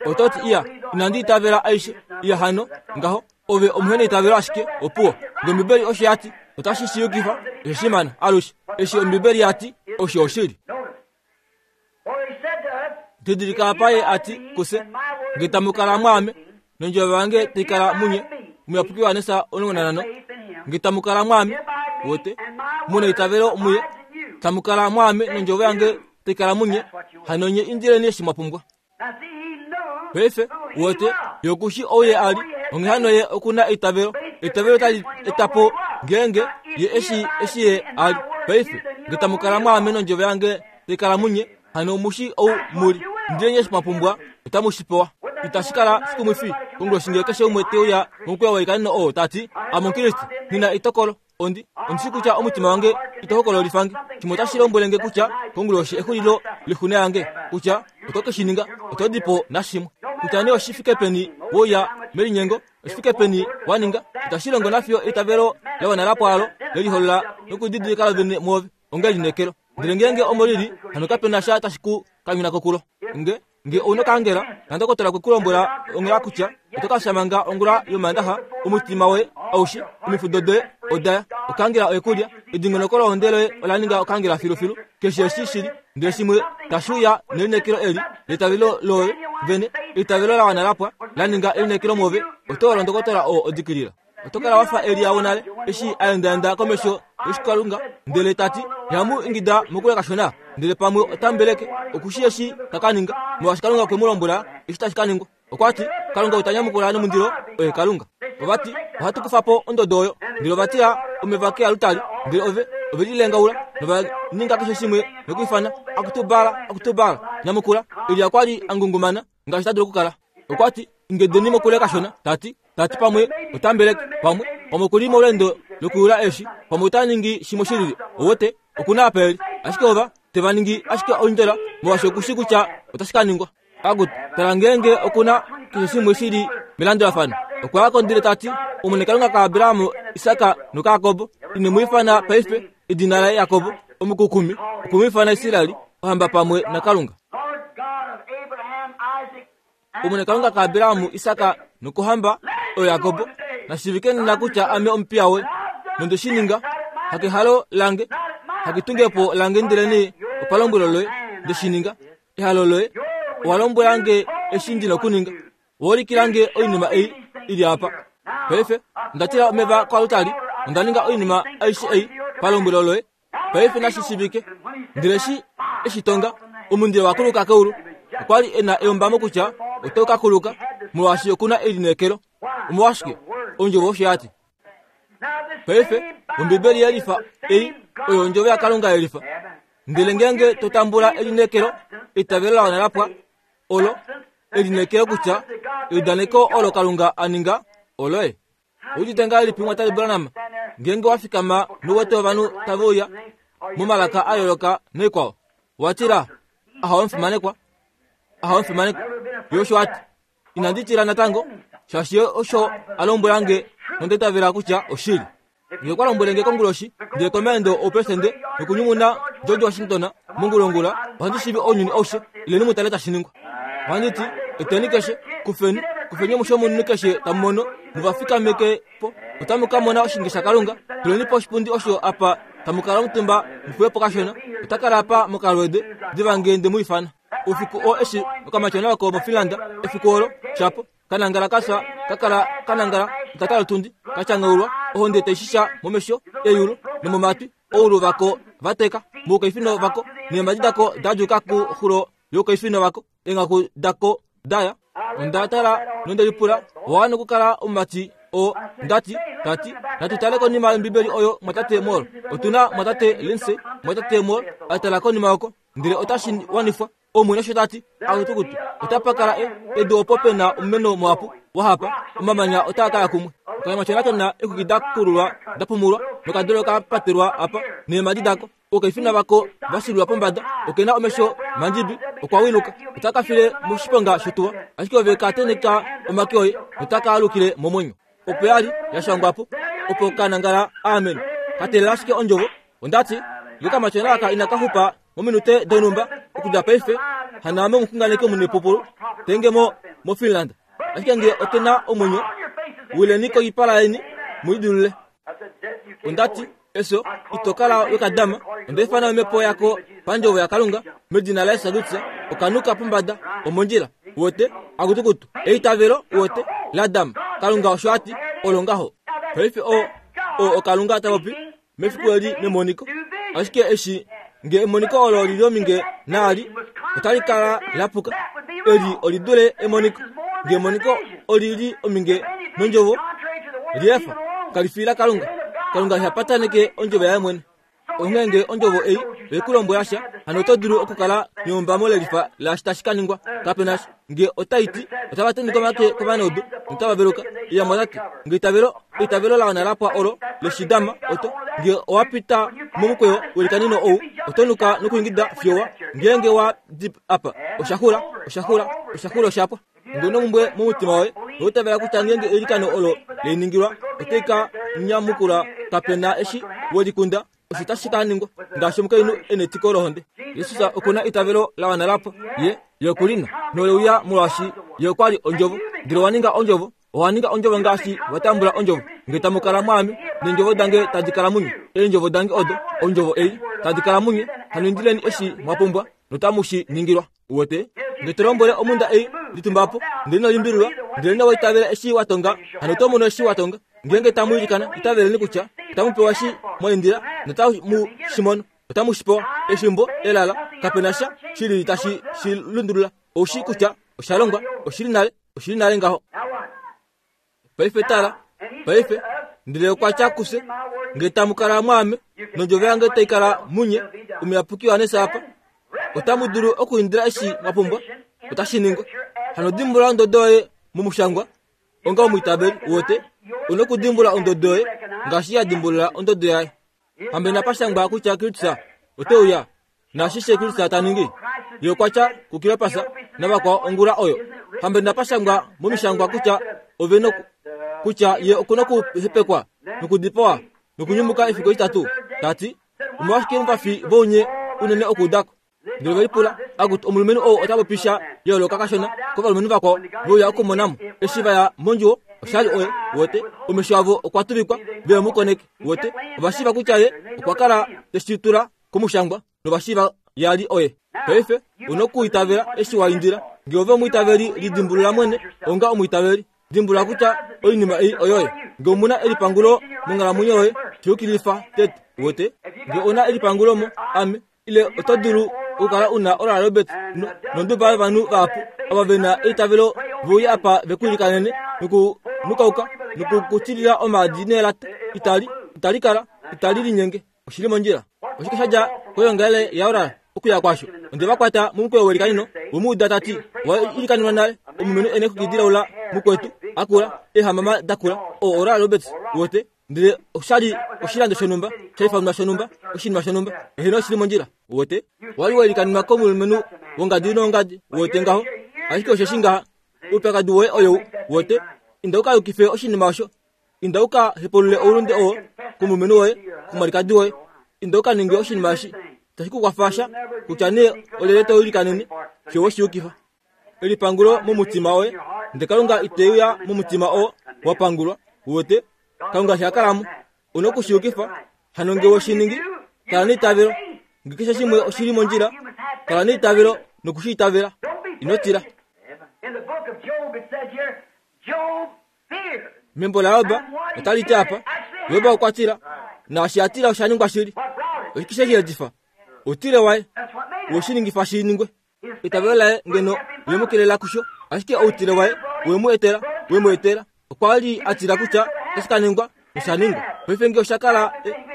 S1: Oto ti iya, inandi itavela aishe. Iya hano ngaho, ove omuheneitavelo ashike opuwo. Ngee Ombibeli osho ya ti, otashi shi yukifa, osho shimana alushe. Eshi Ombibeli ya ti, osho oshili. Didilika apa ye a ti kufye, ngee tamu kala mwaame, nondjovo yange tai kala munye, Omuyapuki Johannes omulongo nanhano, ngee tamu kala mwaame, wete, muna eitavelo muye, tamu kala mwaame nondjovo yange tai kala munye, hano nye indileni eshi mwa pumbwa. Paife, wete, ye okushi ou ye ali, onghee hano ye okuna eitavelo. Eitavelo tali eta po ngeenge ye eshi eshi ye ali. Paife, ngee tamu kala mwaame nondjovo yange tai kala munye, hano mushi ou muli. Indileni eshi mwa pumbwa, otamu shi pewa. Itashi kala shikumwifi konguloshi ngee keshe umwe te uya momukweyo weikaneno oo ta ti, ame Omukriste, nghi na etokolo. Ondi ondishi kutya omutima wange ito hokololifange. Shimwe otashi lombwele nge kutya konguloshi exulilo lixuna yange, kutya oto ke shi ninga, oto di po nashimwe. Kutya nee oshi fike peni wouya melinyengo, oshi fike peni wa ninga, itashi longo nafiyo eitavelo la wana lapwaalo leliholola nokudidilika lovene mwoove onga elineekelo. Ndele ngeenge omo lili, hano kape na sha tashi ku kanyuna kokulo. Nge nge ouna okaangela, nandokotola okwe ku lombwela onghela kutya oto ka fya manga ongula yomandaxa, omutima woye aushe, omifudo doye odaya, okaangela oye kulya, edingonoko lohonde loye ola ninga okaangela filufilu, keshe eshi shili, ndele shimwe tashi uya nelineekelo eli leitavelo loye vene, eitavelo la wana lapwa la ninga elineekelo mwoove, oto londo ndokotola oo odikilila. Oto kala wafa Elia wonale eshi a endaenda komesho yoshikalunga ndele ta ti, ihamu ingida mokule kashona, ndele pamwe ota mbeleke, okushi eshi ta ka ninga, molwaashi Kalunga okwe mu lombwela eshi tashi ka ningwa. Okwa ti, Kalunga ota nyamukula nomundilo, oye Kalunga. Ova ti, ohatu kufa po ondodo oyo, ndele ova tila omeva kealutali, ndele ove ove lilengaula nova ninga keshe shimwe nokwiifana, akutu Baal, akutu Baal, nyamukula. Elia okwa li a ngungumana ngaashi ta dulu okukala. Okwa ti, ingedeni mokule kashona, ta ti, ta ti pamwe ota mbeleke, pamwe pamwe okuli molweendo lokuyula eeshi, pamwe ota ningi shimwe shilili. Owete, okuna apa eli. Ashike ova teva ningi ashike oindjola, molwaashi okushi kutya otashi ka ningwa. Akutu, tala ngeenge okuna keshe shimwe shili melandulafano. Okwa ya ko ndele ta ti, Omwene Kalunga kaAbraham, Isak nokaJakob, ine mu ifana paife edina laye Jakob, omukukumi, okwe mu ifana Israel, ohamba pamwe naKalunga. Omwene Kalunga kaAbraham, Isak nokohamba oyo Jakob, nashivike nena kutya ame omupiya woye, nonde shi ninga, hakehalo lange, haketungepo lange, ndelenee opalombwelo loye nde shi ninga. Ehalo loye owa lombwela nge eshi ndi na okuninga, owa ulikila nge oinima ei ili apa. Paife onda tila omeva koalutali, onda ninga oinima aishe ei palombwelo loye. Paife nashi shivike. Ndele eshi eshi tonga, omundilo wa kuluka keulu. Okwa li e na eyombamo kutya otau ka kuluka, molwaashi okuna elineekelo. Omolwashike? Ondjovo osho ya ti. Paife Ombibeli yelifa ei oyo ondjovo yaKalunga yelifa. Ndele ngeenge to tambula elineekelo, eitavelo la wana lapwa, olo elineekelo kutya eudaneko olo Kalunga a ninga oloye. Oudite ngahelipi mwatali Branham ngeenge wa fikama nouwete ovanhu tave uya momalaka a yooloka noikwao? Wa tila, ahowe omufimanekwa, ahowe omufimanekwa. Ye osho a ti, inandi tila natango, shaashi ye osho a lombwela nge nonda itavela kutya oshili. Nge okwa lombwele nge konguloshi, ndele komaendo oupelesidente nokunyumuna George Washington mongulongula, ohandi shivi ounyuni aushe, ileni mu tale tashi ningwa. Ohandi ti, eteni keshe, kufeni, Kufeni omusho munini keshe tamu mono, muvafikameke po. Otamu ka mona oshinge shaKalunga. Tuleni po oshipundi osho apa tamu kala omutumba mufuwe po kashona. Ota kala apa mokalwede diva ngee nde mu ifana. Oufiku oo eshi okamatyona oko moFinland efiku olo shapo kanangala kafya kakala kanangala etata lotundi kachangaulwa ohonde taishisha momesho eyulo nomomatwi oulu vako vateka muukaifino vako neemadi dako dajuka kuxulo youkaifino vako enghaku dako daya. Onda tala nondelipula owa nokukala omumati oo ndati tati natutale konima yombibeli oyo mwatate Moore. Otuna mwatate Lindsay mwatate Moore atala konima oko ndele otashi wanifwa. Omwene osho tati akutukutu otapakala edu opo pena omumeno muhapu wahapa omamanya otaa kaya kumwe. Okamatyona kena ekuki dakululwa dapumulwa nokadolo kapatelwa apa neemadi dako okaifina vako vasililwa pombada okena omesho mandjibi okwa wiluka otakafile moshiponga shotuwa ashike ove kateneka omake oye notakaalukile momwenyo. Opo yali yashangwapo opo kanangala amen katelela ashike ondjovo. Ondati ngee kamatyona aka inakaxupa mominute donhumba okudja paife hanaame omuxunganeki omunepupulu tenge mo moFinland. Ashike ngee okena omwenyo wileni koipala yeni muidulule. Ondati eso itokala wekadama ondaifana omhepo yako pandjovo yaKalunga medina laYesu Kristus okanuka pombada omondjila wote akutukutu eitavelo wote ladama Kalunga osho ati olo ngaho. Paife o o oKalunga tapopi mefiku eli memoniko. Ashike eshi ngee emoniko olo lili ominge naali otali kala lapuka. Eli olidule emoniko. Ngee emoniko olili ominge nondjovo liefa kalifila Kalunga. Kalunga ihapataneke ondjovo yaye mwene. Onghee ngee ondjovo ei oikulombwela sha hano oto dulu okukala neyombamo lelifa laashi tashi ka ningwa. Kapena sha ngee otaiti otava teneka omake kovanaudu notava veluka. Iya mwatati ngee eitavelo eitavelo la wana lapwa olo leshidama oto ngee owapita momukweyo welikanino ou otonuka nokuingida fiyowa ngeenge wa di apa oshaxula oshaxula oshaxula oshapwa. Ngee omumbwe momutima woye noutavela kutya ngeenge eilikano olo leiningilwa otai ka nyamukula kapena eshi welikunda osho tashi ka ningwa ngaashi omukainhu e netiko lohonde. Jesus okuna eitavelo la wana lapwa ye ye okulina noleuya molwaashi ye okwali ondjovo. Ndele owa ninga ondjovo owa ninga ondjovo ngaashi watambula ondjovo. Ngee tamu kala mwaame neendjovo dange tadi kala munye eendjovo dange odo ondjovo ei tadi kala munye hano indileni eshi mwapumbwa notamu shi ningilwa. Uwete ngee to lombwele omunda ei litumbapo ndele inolimbililwa ndele ino itavela eshi watonga hano oto mono eshi watonga. Ngeenge tamu ilikana itaveleni kutya otamu pewa eshi mwaindila notamu shi mono otamu shi pewa. Efimbo elala kapena sha shilili tashi shi lundulula. Oushi kutya oshalongwa oshili nale oshili nale ngaho. Paife tala paife ndele okwa tya kufye ngee tamu kala mwaame nondjovo yange tai kala munye omuyapuki Yohannes apa otamu dulu okuindila eshi mwapumbwa otashi ningwa. Hano dimbula ondodo yoye momushangwa onga omwiitaveli wote una okudimbula ondodo yoye ngaashi ya dimbulula ondodo yaye. Hambe napashangwa kutya Kristus oteuya naashishe Kristus ta ningi ye okwa tya kuKleopas navakwao ongula oyo. Hambe napashangwa momishangwa kutya ove noku kutya ye okuna okuhepekwa nokudipawa nokunyumuka efiku etitatu. Tati omolwashike muvafi vounye unene okuudako? Ndele velipula akuti omulumenhu ou ota popisha yooloka kashona kovalumenhu vakwao veuya okumonamo eshi vaya mondjuwo oshali oye wote omesho avo okwa tuvikwa ve mu koneke wote ovashiiva kutya ye okwa kala teshi tula komushangwa novashiiva yali oye. Paife una okuitavela eshi wa indila. Ngee ove omwiitaveli lidimbulula mwene onga omwiitaveli dimbulula kutya oinima ei oyoye. Ngee omuna elipangulo monghalamwenyo yoye shiyukilifa tete wote. Ngee ona elipangulo mo ame ile oto dulu okukala una Oral Roberts nonduba yovanhu vahapu ava vena eitavelo veuya apa vekuilikanene nokunukauka nokukutilila omaadi neelata itali itali kala itali linyenge oshili mondjila. Oshike shadja koyoongalele yaOral okuya kwasho? Onde vakwata momukweyo welikanino vomuuda tati owa ilikanenwa nale omulumenhu ene okukidilaula mukwetu akula eehamama dakula o Oral Roberts wote ndele oshali oshilando shonhumba shaifanwa shonhumba oshinima shonhumba eheno oshili mondjila wote wali wailikanenwa komulumenhu wongadi nongadi wote ngaho. Ashike osheshi ngaha oupyakadi woye oyou wote inda ukayukife oshinima osho inda ukahepulule oulunde oo komulumenhu woye komwalikadi woye inda ukaninge oshinima eshi tashi ku kwafa sha kutya nee olyelye to ilikanene fiyo weshiyukifa. Elipangulo momutima woye Ndele Kalunga iteuya momutima oo wapangulwa wote Kalunga shakalamo una okushiyukifa hano nge woshiningi kala neitavelo nge keshe shimwe oshili mondjila kala neitavelo nokushiitavela ino tila. Membo laJob otali ti apa Job okwa tila naashi a tila osha ningwa shili. Oshike she shi outile waye woshiningifa shi ningwe. Eitavelo laye ngeno lemukelela kusho ashike outile waye wemu etela wemu etela okwa li a tila kutya otashi ka ningwa osha ningwa. Paife nge osha kala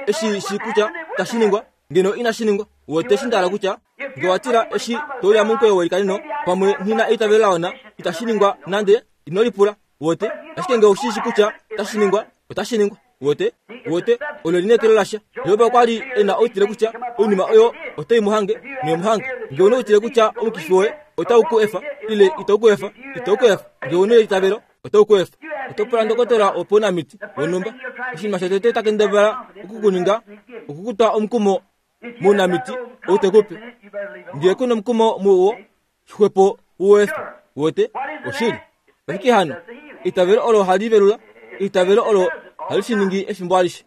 S1: eshi shi kutya tashi ningwa ngeno inashi ningwa wote shindala kutya nge watila eshi touya momukweyo welikanino pamwe nghina eitavelo laona itashi ningwa nande ino lipula wote ashike nge oshishi kutya tashi ningwa otashi ningwa wote wote olo lineekelo lasha. Job okwa li ena outile kutya oinima oyo otai mu hange nemuhange. Nge una outile kutya omukifi woye otau ku efa ile itau ku efa itau ku efa nge una eitavelo otau ku efa. Oto pula ndokotola wopaunamiti wonhumba oshinima shotete takendabala okukuninga okukutwa omukumo mounamiti ou tekupe nge kuna omukumo muwo xwepo uwefa wote oshili. Oshike hano eitavelo olo hali velula eitavelo olo hali shiningi efimbo alishe.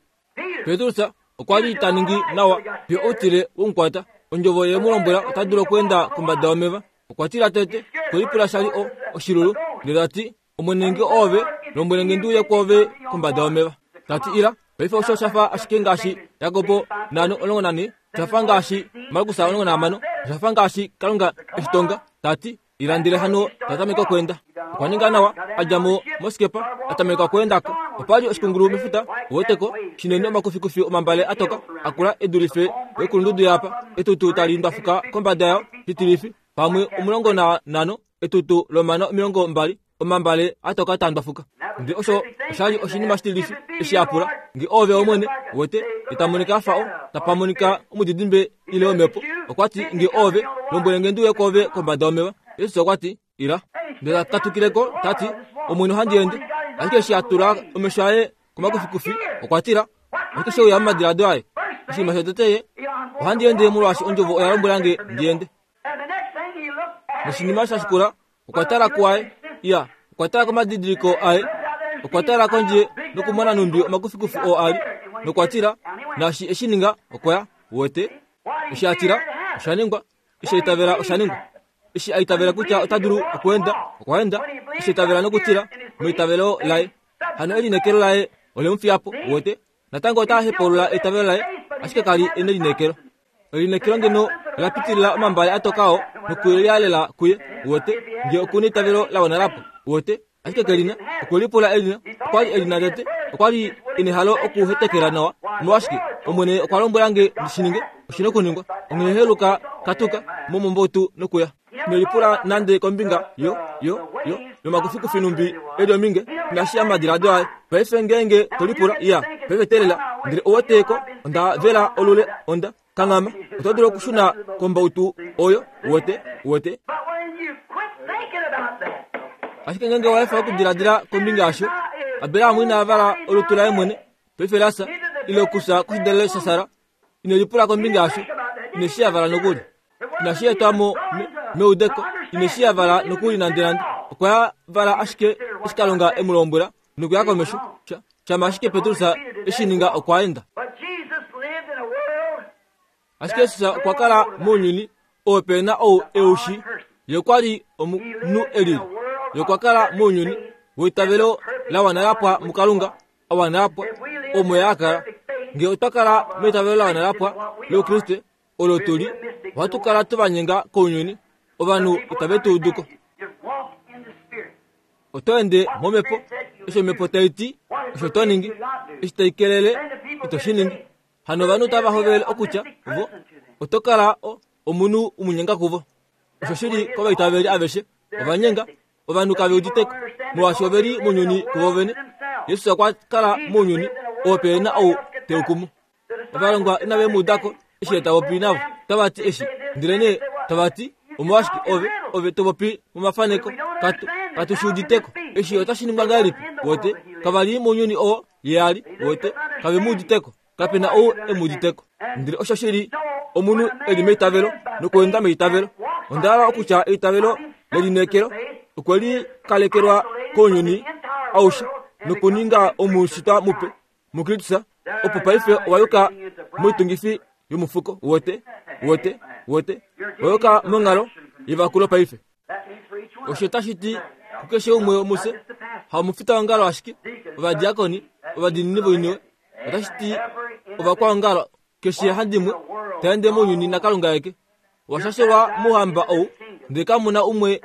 S1: Petrus okwa li ta ningi nawa fiyo outile womukwata ondjovo ye mu lombwela ota dulu okweenda kombada yomeva. Okwa tila tete kwelipula shali o oshilulu ndele tati Omwene nge ove lombwele nge ndiuye kwoove kombada yomeva. Tati ila paife osho shafa ashike ngaashi Jakobo nano omulongo nane shafa ngaashi Markus omulongo nahamano shafa ngaashi Kalunga eshitonga. Tati ila ndele hano tatameka okweenda. Okwa ninga nawa adja mo mosikepa atameka okweendako. Opali oshikungulu mefuta uweteko shinene omakufikufi omambale atoka akula edulife wekulundudu yapa etutu tali ndwafuka kombada yao shitilifi pamwe omulongo na nano etutu lomano omilongo mbali omambale atoka tandwafuka. Ndele osho oshali oshinima shitilifi eshi apula nge ove omwene wote itamonika afa o tapamonika omudidimbe ile omhepo. Okwati nge ove lombwele nge ndiuye kwoove kombada yomeva. Jesus okwati ila ndele katukileko tati Omwene ohandi ende. Ashike eshi atula omesho aye komakufikufi okwa tila ashike sheuya momadiladilo aye oshinima shotete ye ohandi ende molwaashi ondjovo oya lombwela nge ndi ende. Noshinima shashikula okwa tala kuaye iya okwa tala komadidiliko aye okwa tala kondje nokumona numbi omakufikufi oo ali nokwa tila naashi eshi ninga okwaya wote eshi atila osha ningwa eshi aitavela osha ningwa eshi aitavela kutya ota dulu okweenda okwaenda eshi aitavela nokutila meitavelo laye hano elineekelo laye olemufiyapo wote natango ota hepulula eitavelo laye ashike kali ena elineekelo. Elineekelo ngeno ola pitilila omambale atokao nokulialela kuye wote nge okuna eitavelo lawana lapo wote ashike kelina okwelipula elina okwali elina tete okwali enehalo okuhetekela nawa omolwashike Omwene okwa lombwela nge ndishininge oshina okuningwa onghee heluka katuka momombotu nokuya. Nelipula nande kombinga yo yo yo yomakufikufi numbi eli ominge inashi amadiladilo aye. Paife ngeenge tolipula iya paife telela ndele oweteko onda vela olule onda kangama oto dulu okushuna kombautu oyo wote wote. Ashike ngeenge waefa okudiladila kombinga yasho Abraham ina vala olutu laye mwene paife lasa ile okusa koshidalelo shaSara inelipula kombinga yasho ineshi yavala nokuli inashi etwamo meudeko ineshi yavala nokuli nande nande okwa vala ashike eshi Kalunga emu lombwela nokuya komesho shama ashike Petrus eshi ninga okwa enda. Ashike Jesus okwa kala mounyuni oo pena ou eushi ye okwa li omunhu elili ye okwa kala mounyuni weitavelo lawana lapwa muKalunga awana lapwa omo ye akala. Nge otwa kala meitavelo lawana lapwa loukriste olo tuli ohatu kala tuvanyenga kounyuni ovanhu itave tu uduko. Oto ende momhepo osho omhepo tai ti osho to ningi eshi tai kelele ito shi ningi. Hano ovanhu tava hovele okutya vo oto kala omunhu umunyenga kuvo. Osho shili kovaitaveli aveshe ovanyenga ovanhu kave uditeko molwaashi oveli mounyuni kuvo vene. Jesus okwa kala mounyuni oo pena ou teukumu. Ovalongwa inave mu udako eshi tavopi navo tavati eshi ndele nee tavati omolwashike ove ove topopi momafaneko katu katu shi uditeko eshi otashi ningwa ngahelipi wote kavali mounyuni oo ye ali wote kave mu uditeko kapena ou emu uditeko. Ndele osho shili omunhu eli meitavelo nokuenda meitavelo. Onda hala okutya eitavelo lelineekelo Okwe likalekelwa kounyuni aushe nokuninga omushitwa mupe muKristus, opo paife owa yuka moitungifi yomufuko wote wote wote owa yuka monghalo yevakulo paife. Osho tashi ti kukeshe umwe womufye, hamufita wongalo ashike, ovadiakoni, ovadiinini voiniwe, otashi ti ovakwaongalo keshe handimwe taende mounyuni naKalunga eke. Owashashelwa mouhamba ou, ndele kamu na umwe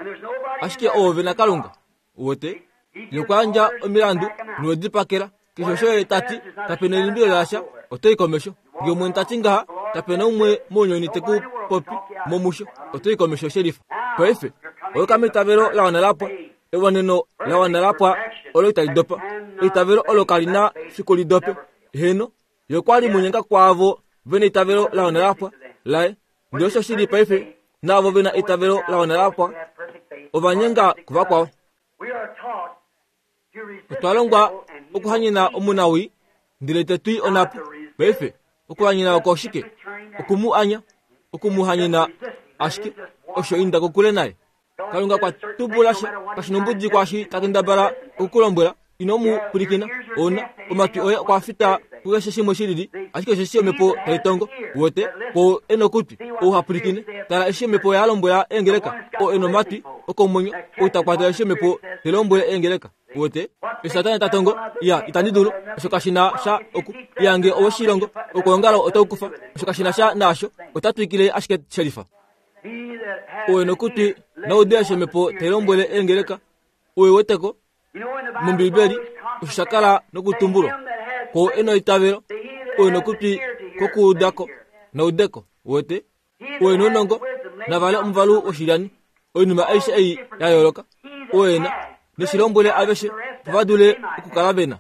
S1: ashike oove naKalunga. Wote yokuyandja omilandu nowedipakela keshe osho ye tati kapena elimbilo lasha, otoi komesho. Ngee omwene tati ngaha, kapena umwe mounyuni teku popi momusho, otoi komesho shelifa. Paife oyuka meitavelo la wana lapwa, ewaneno la wana lapwa olo itali dopa, eitavelo olo kali na fiku li dope. Heno yokwali munyenga kwaavo vena eitavelo la wana lapwa laye, ndele osho shili paife naavo vena eitavelo la wana lapwa ovanyenga kuvakwao. Otwa longwa okuhanyena omunawii ndele tetwi onapo. Paife okuhanyena oko oshike? Okumu anya, okumuhanyena ashike osho inda kokule naye. Kalunga kwa tubula sha kashinombudi kwashi takendabala okukulombwela, ino mu pwilikina. Ona omatwi oye okwa fita kukeshe shimwe shilili, ashike osheshi omhepo tai tongo. Wote ko enokutwi ou ha pwilikine, tala eshi omhepo ya lombwela eengeleka, o enomatwi okomwenyo ou ta kwata eshi omhepo te lombwele eengeleka. Wote Satana ta tongo, ya itandi dulu, osho kashina sha oku yange owoshilongo okwoongalo otau kufa, osho kashina sha naasho, ota twikile ashike shelifa. Owe nokutwi naude eshi omhepo tai lombwele eengeleka, owe weteko mOmbibeli osho sha kala nokutumbulwa ko eno itavelo, owe nokutwi kokuudako naudeko. Wote owe nonongo navale omuvalu woshilyani, oinima aishe ei ya yooloka, owe na neshilombwele aveshe opo va dule okukala vena.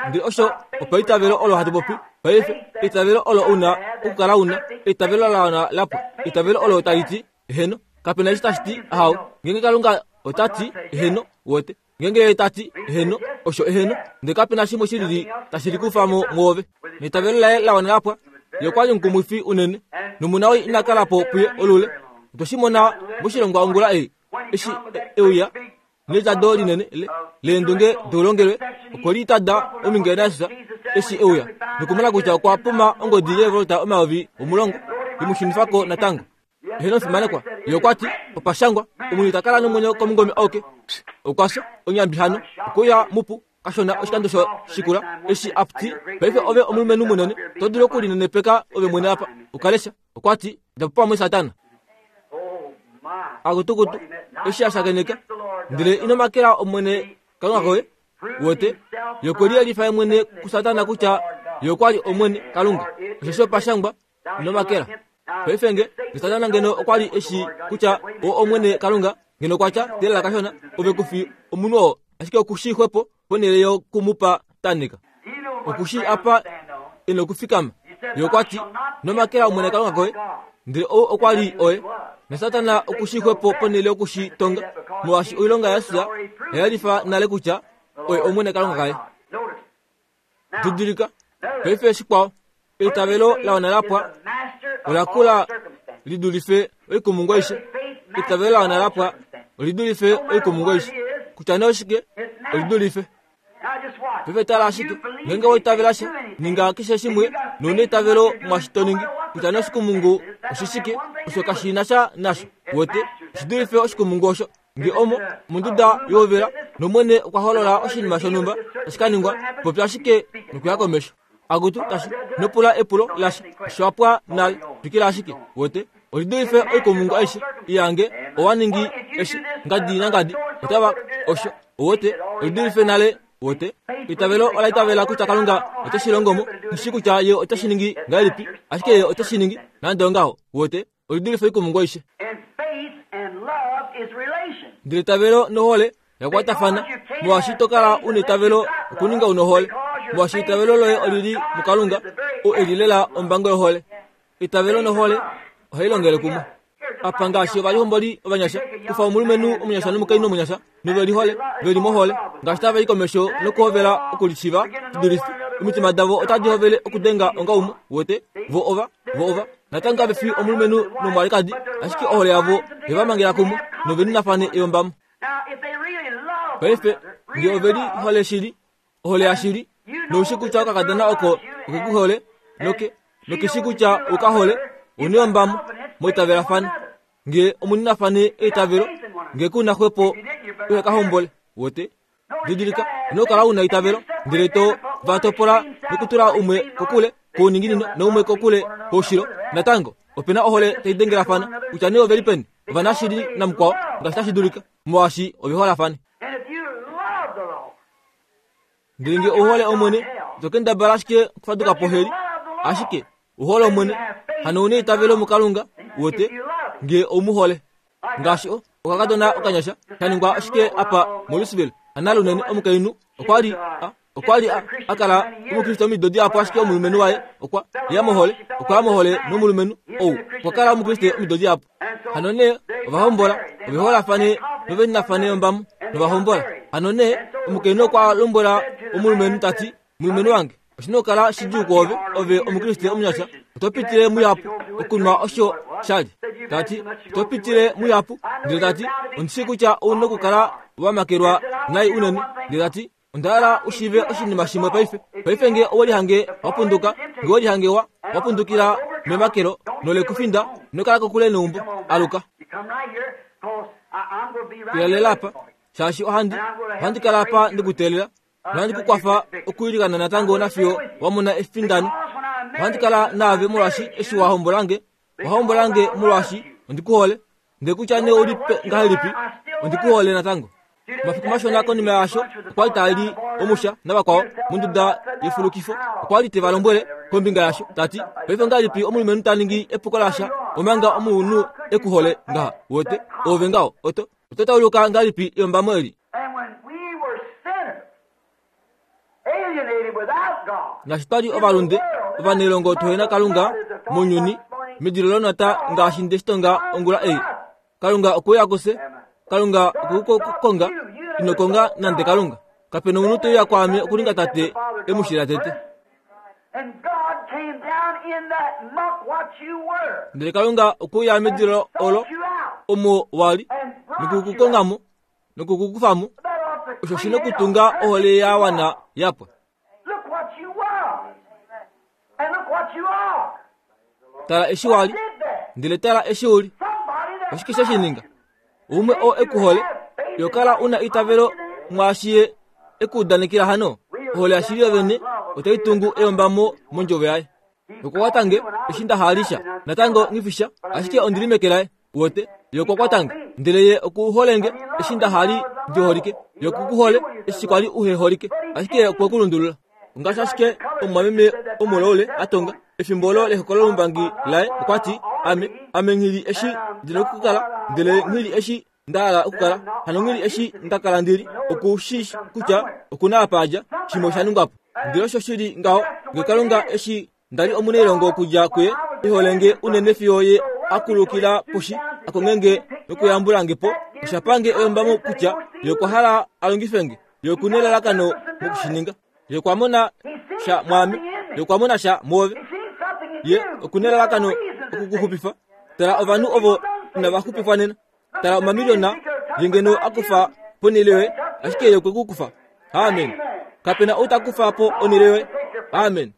S1: Ndele osho opo eitavelo olo hatu popi paife, eitavelo olo una okukala una, eitavelo la wana lapwa, eitavelo olo tali ti heno, kapena eshi tashi ti ahau. Ngeenge Kalunga ota ti heno, wote ngeenge ta ti heno, osho eheno, ndele kapena shimwe shilili tashi likufa mo mwoove. Neitavelo laye la wana lapwa, ye okwa li omukumwifi unene, nomunawii ina kala po puye olule. Otwe shi mona moshilongwa ongula ei, eshi euya nelitado linene leendunge doulongelwe, okwe litada ominge naJesus eshi euya nokumona kutya okwa puma ongodi yeevolta omayovi omulongo imushunifako natango. Heno fimanekwa, ye okwa ti opashangwa omunhu ta kala nomwenyo komungome auke. Okwa fya onyambi hano, okuya mupu kashona oshikando sho shikula eshi apti paife ove omulumenhu munene to dulu okulinenepeka ove mwene apa ukalesha. Okwa ti ndapo pamwe Satana akutukutu eshi ashakeneka, ndele ino makela omwene Kalunga koye. Wote yokweliyelifa ye mwene kuSatana kutya ye okwa li omwene Kalunga, osheshi opashangwa ino makela. Paife nge Satana ngeno okwa li eshi kutya o omwene Kalunga, ngeno kwatya telela kashona ove kufi omunhu oo, ashike okushi xwepo ponhele yokumupa tanika. Okushi apa eno kufikama. Ye okwa ti nomakela omwene Kalunga koye, ndele ou okwa li oye. Na Satana okushi xwepo ponhele yokushi tonga, molwaashi oilonga yaJesus oyalifa nale kutya oye omwene Kalunga kaye. Didilika paife shikwao, eitavelo la wana lapwa ola kula lidulife oikumungu aishe. Eitavelo la wana lapwa olidulife oikumungu aishe, kutya nee oshike olidulife. Paife tala ashike, ngeenge oitavela sha ninga keshe shimwe nouna eitavelo mwashi to ningi, kutya nee oshikumungu oshishike, osho kashina sha nasho. Wote oshidulife oshikumungu osho. Nge omo monduda yoovela nomwene okwa holola oshinima shonhumba tashi ka ningwa, popya ashike nokuya komesho. Akutu tashi nopula epulo lasha, osho wapwa nale, twikila ashike. Wote olidulife oikumungu aishe iyange owa ningi eshi ngadi nangadi otava osho. Wote olidulife nale. Wote eitavelo ola itavela kutya Kalunga ote shi longo mo, shi kutya ye ote shi ningi ngahelipi, ashike ye ote shi ningi nande ongaho. Wote olidulife oikumungu aishe. Ndele eitavelo nohole yakwatafana, molwaashi to kala una eitavelo okuninga una ohole, molwaashi eitavelo loye olili muKalunga, oo eli lela ombango yohole. Eitavelo nohole ohai longele kumwe. Apa ngaashi ovalihomboli ovanyasha, kufa omulumenhu omunyasha nomukainhu omunyasha, novelihole veli mohole, ngaashi tava i komesho nokuhovela okulishiva shidulife, omitima davo otadi hovele okudenga onga umwe. Wote vo ova vo ova natango kave fi omulumenhu nomwalikadi, ashike ohole yavo yeva mangela kumwe noveninafane eyombamo. Paife nge ove li hole shili, ohole yashili, noushi kutya okakadona oko okekuhole noke nokeshi kutya okahole, oneombamo moitavelafana. Nge omuninafane eitavelo, nge kuna xwepo uhekahombole wote. Didilika, ino kala una eitavelo, ndele to va topola nokutula umwe kokule kouninginino noumwe kokule koushilo. Natango opena ohole tai dengelafana kutya nee ove li peni, ovanashili namukwao ngaashi tashi dulika, molwaashi ove holafane. Ndele nge ouhole Omwene, ito kendabala ashike okufaduka po heli, ashike uhole Omwene, hano una eitavelo muKalunga wote, nge oumuhole. Ngaashi o okakadona okanyasha kaningwa ashike apa moLouisville, analunene omukainhu okwa li okwa li a kala omukriste omido dihapu, ashike omulumenhu waye okwa ya mohole, okwa ya mohole nomulumenhu ou okwa kala omukriste omido dihapu. Hano nee ovahombola ove holafane noveninafane ombamo novahombola. Hano nee omukainhu okwa lombwela omulumenhu tati, mulumenhu wange, oshina okukala shidjuu kwoove, ove omukriste omunyasha, oto pitile muyapu okunwa osho shali. Tati oto pitile muyapu, ndele tati ondishi kutya ouna okukala wamakelwa nai unene, ndele tati onda hala ushive oshinima shimwe paife. Paife nge owelihange wapunduka, nge owelihange wa wapundukila memakelo nolekufinda, ino kala kokule neumbo, aluka. Ilalela apa, shaashi ohandi ohandi kala apa ndikuteelela, nohandi kukwafa okuilikana natango nafiyo wamona efindano. Ohandi kala naave molwaashi eshi wahombolange, wahombolange molwaashi ondikuhole, ndele kutya nee oli ngahelipi, ondikuhole natango. Mafiku mashona konima yaasho, okwa li tali omusha navakwao monduda yefulukifo, okwa li te va lombwele kombinga yasho tati, paife ngahelipi omulumenhu ta ningi epuko lasha omanga omunhu ekuhole ngaha wote, ove ngaho oto oto tauluka ngahelipi eyombamo eli. Ngaashi twali ovalunde ovanelongo tuhena Kalunga mounyuni, medilo lonata ngaashi ndeshitonga ongula ei. Kalunga okuya kuse, Kalunga okukukonga, ino konga nande Kalunga. Kapena omunhu teuya kwaame okuninga tate emushila tete. Ndele Kalunga okuya medilo olo omo wali nokukukongamo nokukukufamo, osho shina okutunga ohole ya wana yapwa. Tala eshi wali, ndele tala eshi uli. Oshike she shininga? Umwe oo ekuhole, yo kala una eitavelo mwaashi ye ekuudanekela hano. Ohole yashili yovene otai tungu eyombamo mondjovo yaye. Okwa kwatange eshi ndahalisha natango nghifisha, ashike ondili meke laye wote. Yo okwa kwatange ndele ye okuholenge eshi ndahali ndiholike, yo okukuhole eshi kwali uheholike, ashike okwe kulundulula. Ngaashi ashike omumwameme omuloule atonga efimbo olo lehokololo lombangi laye, okwa ti, ame ame nghili eshi ndina okukala, ndele nghili eshi ndahala okukala, hano nghili eshi ndakala ndili, okushi kutya okuna apa adja, shimwe osha ningwapo. Ndele osho shili ngaho, nge Kalunga eshi ndali omunailongo okudja kuye, iholenge unene fiyo ye akulukila poshi, akongenge nokuyambulange po, oshapange eyombamo kutya ye okwa hala alongifenge, ye okuna elalakano mokushininga. Ye okwa mona sha mwaame, ye okwa mona sha mwoove, ye okuna elalakano okukuxupifa. Tala ovanhu ovo inava xupifwa nena, tala omamiliona ye ngeno akufa ponhele yoye, ashike ye okwe kukufa. Amen. Kapena ou ta kufa po onhele yoye. Amen.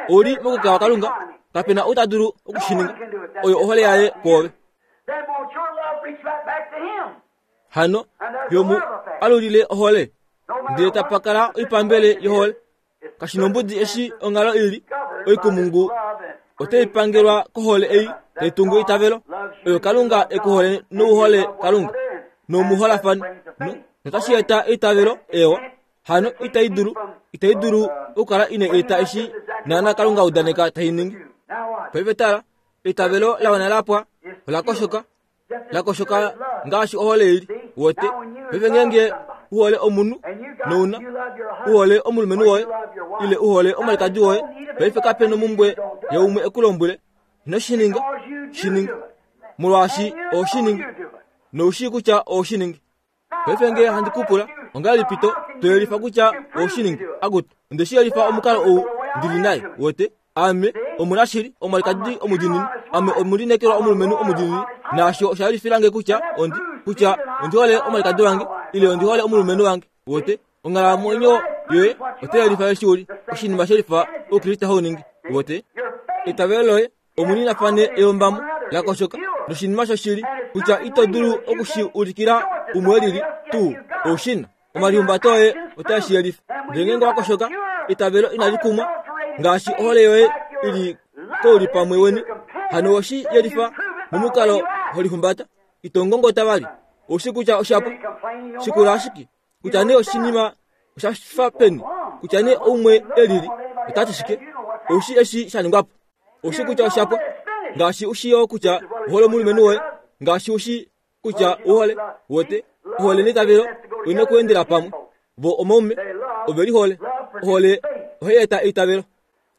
S1: Ouli mokukawa Kalunga, kapena ou ta dulu okushininga. Oyo ohole yaye kwoove. Hano yomu alulile ohole, ndele tapakala oipambele yohole. Kashinombudi eshi onghalo ili, oikumungu otai pangelwa kohole ei tai tungu eitavelo. Oyo Kalunga ekuhole nouhole Kalunga nomuholafane, notashi eta eitavelo ewa. Hano itai dulu itai dulu okukala ina eta eshi naana Kalunga udaneka tai ningi. Paife tala, eitavelo la wana lapwa, ola koshoka, la koshoka ngaashi ohole ili wote. Paife ngeenge uhole omunhu nouna uhole omulumenhu woye ile uhole omwalikadi woye, paife kapena omumbwe yaumwe ekulombwele ino shininga, shininga molwaashi oshininga noushii kutya oshininga. Paife nge handi kupula ongahelipi to toyelifa kutya oshininga? Akutu, onde shi yelifa omukalo ou ndili naye wote. Ame omunashili, omwalikadi omudiinini, ame omulineekelwa omulumenhu omudiinini, naasho osha yelifilange kutya ondi Kutya ondi hole omwalikadi wange ile ondi hole omulumenhu wange. Wote onghalamwenyo yoye otai lifa eshi uli oshinima shelifa oukriste hauningi. Wote eitavelo loye omuninafane eyombamo lakoshoka noshinima shoshili kutya ito dulu okushi ulikila umwe lili tuu oushina omalihumbato oye otae shi yelifa. Ndele ngeenge wakoshoka eitavelo inali kumwa ngaashi ohole yoye ili koulipamwe weni, hano oshi yelifa momukalo holihumbata. Ito ngongota vali oushi kutya oshapo shikula ashike kutya nee oshinima oshafa peni, kutya nee oumwe elili otati shike, oushi eshi sha ningwapo. Oushi kutya oshapo ngaashi ushiyo kutya ohole omulumenhu woye, ngaashi ushi kutya uhole wote ohole neitavelo oina okuendela pamwe. Vo omaume ove lihole, ohole ohai eta eitavelo.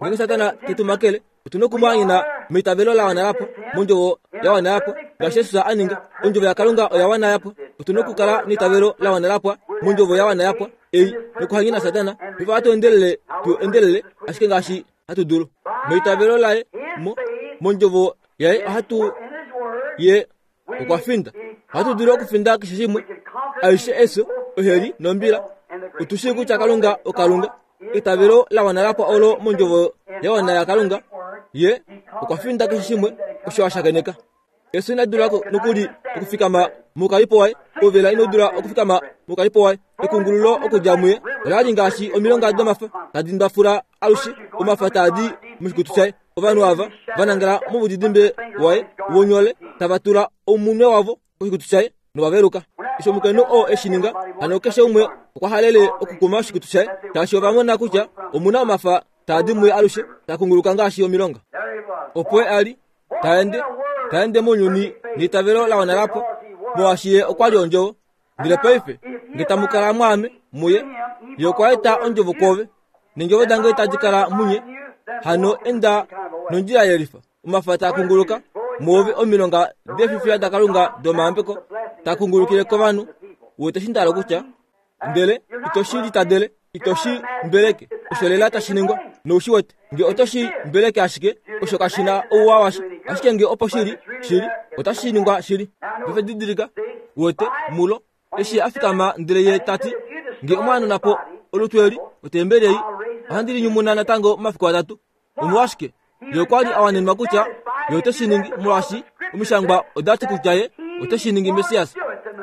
S1: Ngeenge Satana tetu makele, otuna okumwaanyena meitavelo la wana lapo, mondjovo ya wana yapo, ngaashi Jesus a ninga. Ondjovo yaKalunga oya wana yapo. Otuna okukala neitavelo la wana lapwa mondjovo ya wana yapwa ei nokuhanyena Satana. Paife ohatu endelele tu endelele ashike ngaashi hatu dulu meitavelo laye mo mondjovo yaye ohatu ye okwa finda. Ohatu dulu okufinda keshe shimwe, aishe efyo, oheli nombila. Otu shii kutya Kalunga oKalunga. Eitavelo la wana lapwa olo mondjovo ya wana yaKalunga. Ye okwa finda keshe shimwe osho a shakeneka. Efyo ina dula nokuli okufikama moukalipo waye, ovela ino dula okufikama moukalipo waye. Ekungululo okudja muye ola li ngaashi omilonga domafa tadi ndwafula alushe, omafa taadi moshikutu shaye. Ovanhu ava va nangala moudidimbe waye wonyole tava tula omunwe wavo koshikutu shaye novaveluka. Eshi omukainhu oo eshi ninga, hano keshe umwe okwa halele okukuma oshikutu shaye, shaashi ova mona kutya omuna omafa taadi muye alushe, ta kunguluka ngaashi omilonga. Opo a li taende taende mounyuni neitavelo la wana lapo, molwaashi ye okwa li ondjovo. Ndele paife nge tamu kala mwaame muye, ye okwa eta ondjovo kwoove, neendjovo dange tadi kala munye. Hano enda nondjila yelifa, omafa taa kunguluka mwoove, omilonga defifiya daKalunga domayambeko taa kungulukile kovanhu. Wete shi ndalo kutya ndele ito shi litadele, ito shi mbeleke, osho lela tashi ningwa noushi wete. Nge oto shi mbeleke ashike, osho kashi na ouwa washa, ashike nge opo shili shili otashi ningwa shili. Paife didilika, wete mulo eshi a fikama ndele ye tati, nge omwaanona po olutu eli otembeli ei ohandi linyumuna natango momafiku atatu. Omolwashike? Ye okwa li a wanenwa kutya ye ote shi ningi, molwaashi omishangwa oda ti kutya ye ote shi ningi Messias.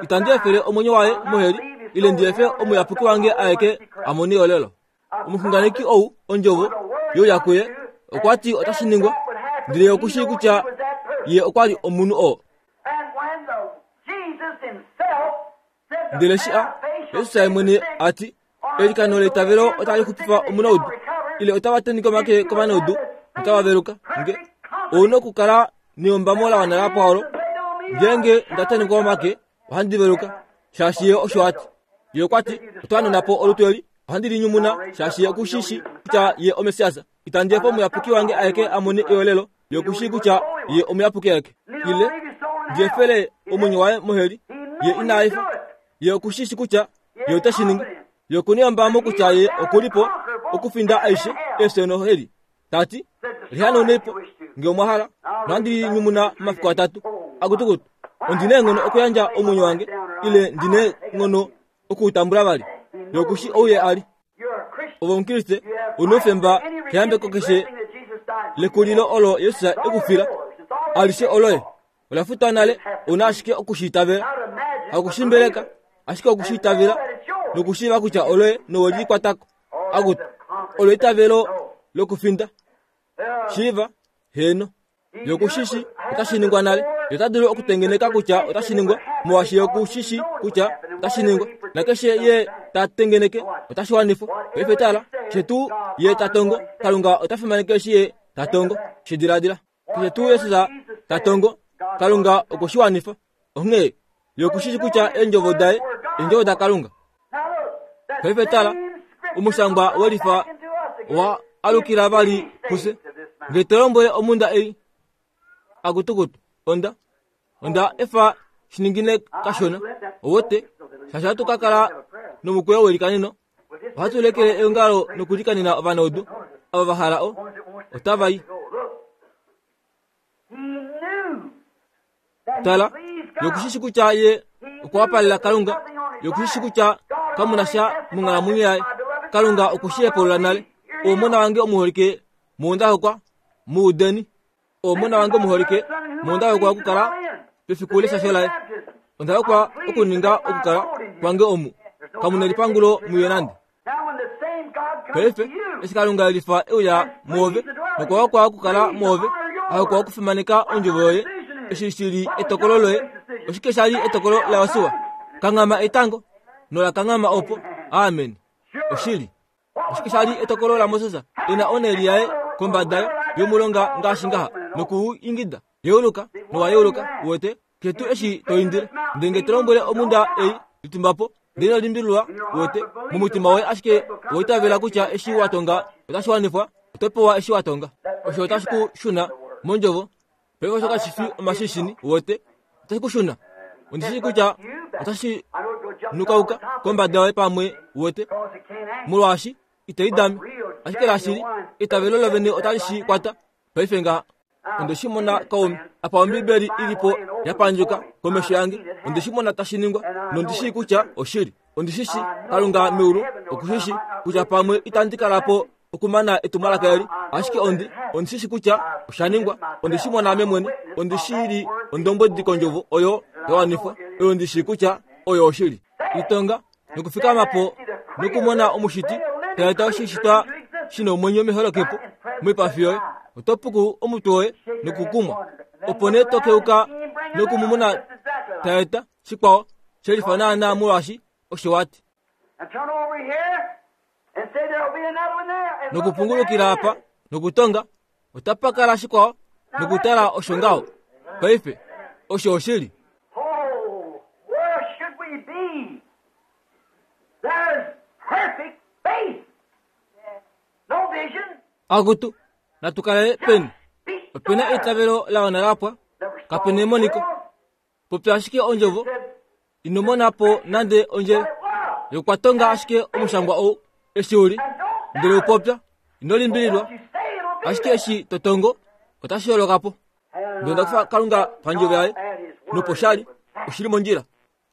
S1: Itandi efele omwenyo waye moheli, ile ndi efe omuyapuki wange aeke a mone olelo. Omuxunganeki ou ondjovo youya kuye okwa ti otashi ningwa, ndele ye oku shii kutya ye okwa li omunhu oo. Ndele shi a Jesus ye mwene a ti, eilikano leitavelo otali xupifa omunaudu, ile otava tenheke omake kovanaudu notava veluka. Nge ouna okukala neyombamo la wana lapwa olo, ngeenge nda tenhekwa omake ohandi veluka, shaashi ye osho a ti. Ye okwa ti, oto hanona po olutu eli, ohandi linyumuna, shaashi ye oku shi shii kutya ye oMessias. Itandi efa omuyapuki wange aeke a mone eolelo, ye oku shii kutya ye omuyapuki aeke. Ile ndi efele omwenyo waye moheli, ye ina efa. Ye oku shi shii kutya ye ote shi ningi. Ye okuna eyombamo kutya ye oku li po okufinda aishe efyo noheli. Tati, lihanaunei po nge omwa hala, nohandi linyumuna momafiku atatu. Akutukutu, ondi na eenghono okuyandja omwenyo wange, ile ndi na eenghono okuutambula vali. Ye oku shi ou ye a li. Ove omukriste, una oufemba keyambeko keshe lekulilo olo Jesus e ku fila. Alishe oloye, ola futwa nale, ouna ashike oku shi itavela. Haku shi mbeleka, ashike oku shi itavela nokushiiva kutya oloye nowe likwatako. Akutu, olo eitavelo lokufinda. Shiiva, heeno. Ye oku shi shi otashi ningwa nale. Ye ota dulu okutengeneka kutya otashi ningwa, molwaashi ye oku shi shi kutya otashi ningwa. Nakeshe ye ta tengeneke otashi wanifwa. Paife tala, keshe tuu ye ta tongo, Kalunga ota fimaneke eshi ye ta tongo. Shi diladila. Keshe tuu Jesus ta tongo, Kalunga okwe shi wanifa. Onghee ye oku shi shi kutya eendjovo daye eendjovo daKalunga. Paife tala, omushangwa welifa owa alukila vali kufye. Nge to lombwele omunda ei, akutukutu, onda onda efa shiningine kashona, owote, shaashi ohatu ka kala nomukweyo welikaneno. Ohatu lekele eongalo nokulikanena ovanaudu ava va hala o otava i. Tala, ye oku shi shi kutya ye Okwa wapalela Kalunga, ye okushishi kutya kamuna sha monghalamwenyo yaye. Kalunga okushi hepulula nale. Omona wange omuholike munda hokwa muudeni. Omona wange omuholike munda hokwa okukala pefiku leshasho laye. Onda hokwa okuninga okukala kwange omu. Kamuna elipangulo muye nande. Paife eshi Kalunga elifa euya muove nokwa hokwa okukala muove, ahokwa okufimaneka ondjovo yoye. Eshi shili etokolo loye. Oshike shali etokolo laYosua? Kanghama etango nola kanghama opo. Amen. Oshili. Oshike shali etokolo laMoses? Ena oneli yaye kombada yomulonga ngaashi ngaha nokuingida yeuluka nowa yeuluka uwete ketu eshi toindile ndenge tolombwele omunda ei litumbapo ndele limbilwa uwete mumutima woye ashike woitavela kutya eshi watonga otashi wanifwa otopewa eshi watonga osho otashi ku shuna mondjovo. Paife osho kashi fi omashishini uwete otashi ku shuna ondishi kutya otashi nukauka kombada yoye pamwe uwete molwaashi itoidame ashike lashili itavelo lovene otali shi kwata. Paife ngaha onde shi mona kaume apa Ombibeli ilipo yapandjuka komesho yange onde shi mona tashi ningwa nondishi kutya oshili. Ondishishi Kalunga meulu okushishi kutya pamwe itandi kalapo okumana etumwalaka eli ashike ondi ondishishi kutya oshaningwa. Ondishi mona ame mwene ondishili ondombwedi kondjovo oyo yawanifwa oyo ndishi kutya oyo oshili. Itonga nokufikamapo nokumona omushiti taeta oshishitwa shina omwenyo meholokepo moipafi yoye otopuku omutwe woye nokukumwa opo nee tokeuka nokumumona taeta shikwao shelifa naana molwaashi osho wati. Nokupungulukila apa nokutonga otapakala shikwao nokutala osho ngaho. Paife osho oshili. Akutu natukale peni opena eitavelo lawana lapwa kapena emoniko popya ashike ondjovo inomonapo nande ondjele yokwatonga ashike omushangwa ou eshi uli ndele upopya inolimbililwa ashike eshi totongo otashi holokapo. Ndonda kufa Kalunga pandjovo yaye noposhali oshili mondjila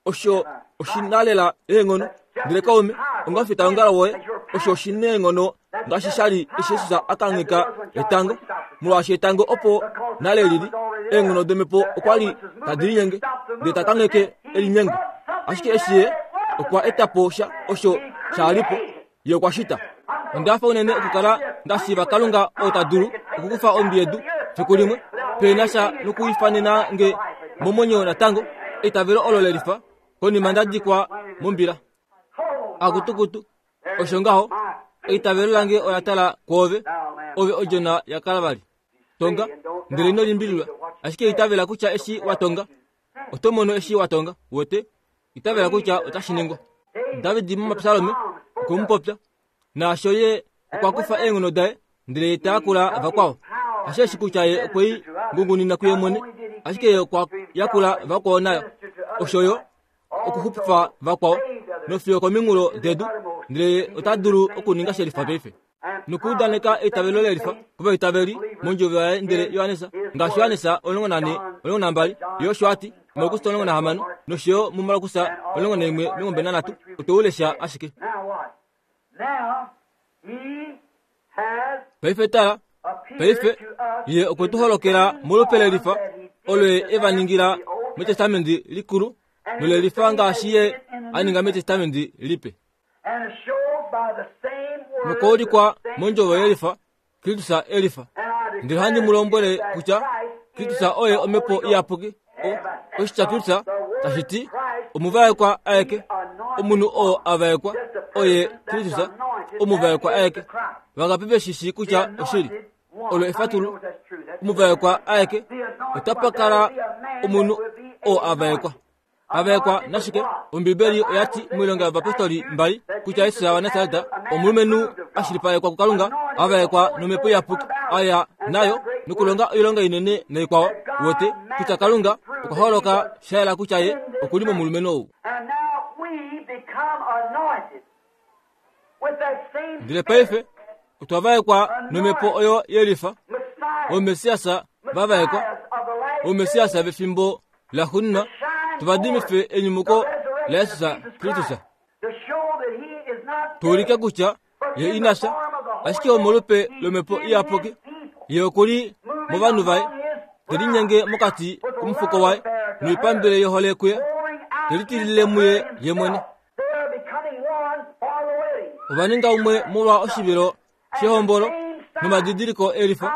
S1: osho oshinalela eenghono ndele kaume ongafita ongalo woye osho oshineenghono ngaashi shali eshi Jesus akangheka etango molwaashi etango opo nale lili eenghono domhepo okwa li tadi linyenge ndele takangheke elinyengo ashike eshi ye okwa etapo sha osho shalipo ye okwa shita. Ondafa unene okukala ndashiiva Kalunga oo ta dulu okukufa ombi yedu fiku limwe pena sha nokuifanena nge momwenyo natango eitavelo olo lelifa konima ndadikwa mombila. Akutukutu osho ngaho eitavelo lange ola tala kwoove ove odjona yaKalvari. Tonga ndele ino limbililwa ashike itavela kutya eshi watonga oto mono eshi watonga wote itavela kutya otashi ningwa. David momapsalome okwemupopya naasho ye okwa kufa eenghono daye ndele tayakula vakwao asheshi kutya ye okwei ngungunina kuye mwene ashike ye okwa yakula vakwao nayo osho yo okuxupifa vakwao nofiyo kominghulo dedu ndele ota dulu okuninga shelifa paife nokuudaneka eitavelo lelifa kovaitaveli mondjovo yaye ndele Johannes ngaashi Johannes omulongo nane omulongo nambali ye osho ati Markus omulongo nahamano noshoyo muMarkus omulongo naimwe omilongo mbali nanhatu otoulesha ashike. Paife tala paife ye okwe tu holokela molupe lelifa olo ye eva ningila metestamenti likulu nolelifa ngaashi ye aninga metestamenti lipe nokoulikwa mondjovo yelifa Kristus elifa. Ndele handi mu lombwele kutya Kristus oye omhepo iyapuki. Oshitya Kristus tashi ti omuvaekwa aeke omunhu oo avaekwa oye Kristus omuvaekwa aeke. Vangapi veshishi kutya oshili olo efatulu omuvaekwa aeke otapakala omunhu oo avaekwa. Avaekwa nashike? Ombibeli oyati moilonga yovapostoli mbali kutya Jesus waNasareta omulumenhu ashilipalekwa kuKalunga avaekwa nomhepo iyapuki aya nayo nokulonga oilonga inene naikwao wote kutya Kalunga okwa holoka shayela kutya ye okuli momulumenhu ou. Ndele paife otwavaekwa nomhepo oyo yelifa omesiasa vavaekwa omesiasa vefimbo laxuuninwa Tuvadimife enyumuko la Yesus Kristus. Tuulike kutya ye inafya, ashike omolupe lomhepo iyapuki, ye okuli movanhu vaye, te linyenge mokati komufuko waye, noipambele yohole kuye, te litilile muye ye mwene. Ova ninga umwe molwa oshivilo shehombolo nomadidiliko elifa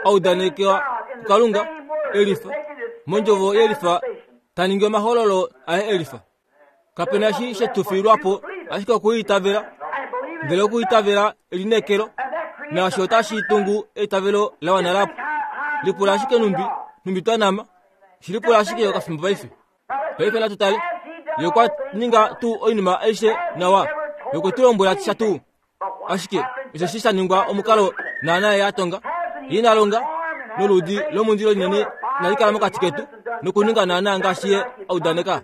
S1: audanekewa kuKalunga elifa mondjovo yelifa taningi omahololo aye elifa. Kapena eshi shetufiilwapo ashike okuitavela, ndele okuitavela elineekelo, naasho otashi tungu eitavelo la wana lapo. Lipula ashike numbi numbi twanama, shilipula ashike okafimbo paife. Paife natu tale, ye okwa ninga tuu oinima aishe nawa, ye okwe tu lombwela sha tuu. Ashike osheshi sha ningwa omukalo naana ye a tonga, ye ina longa noludi lomundilo linene inali kala mokati ketu, nokuninga naana ngaashi ye a udaneka.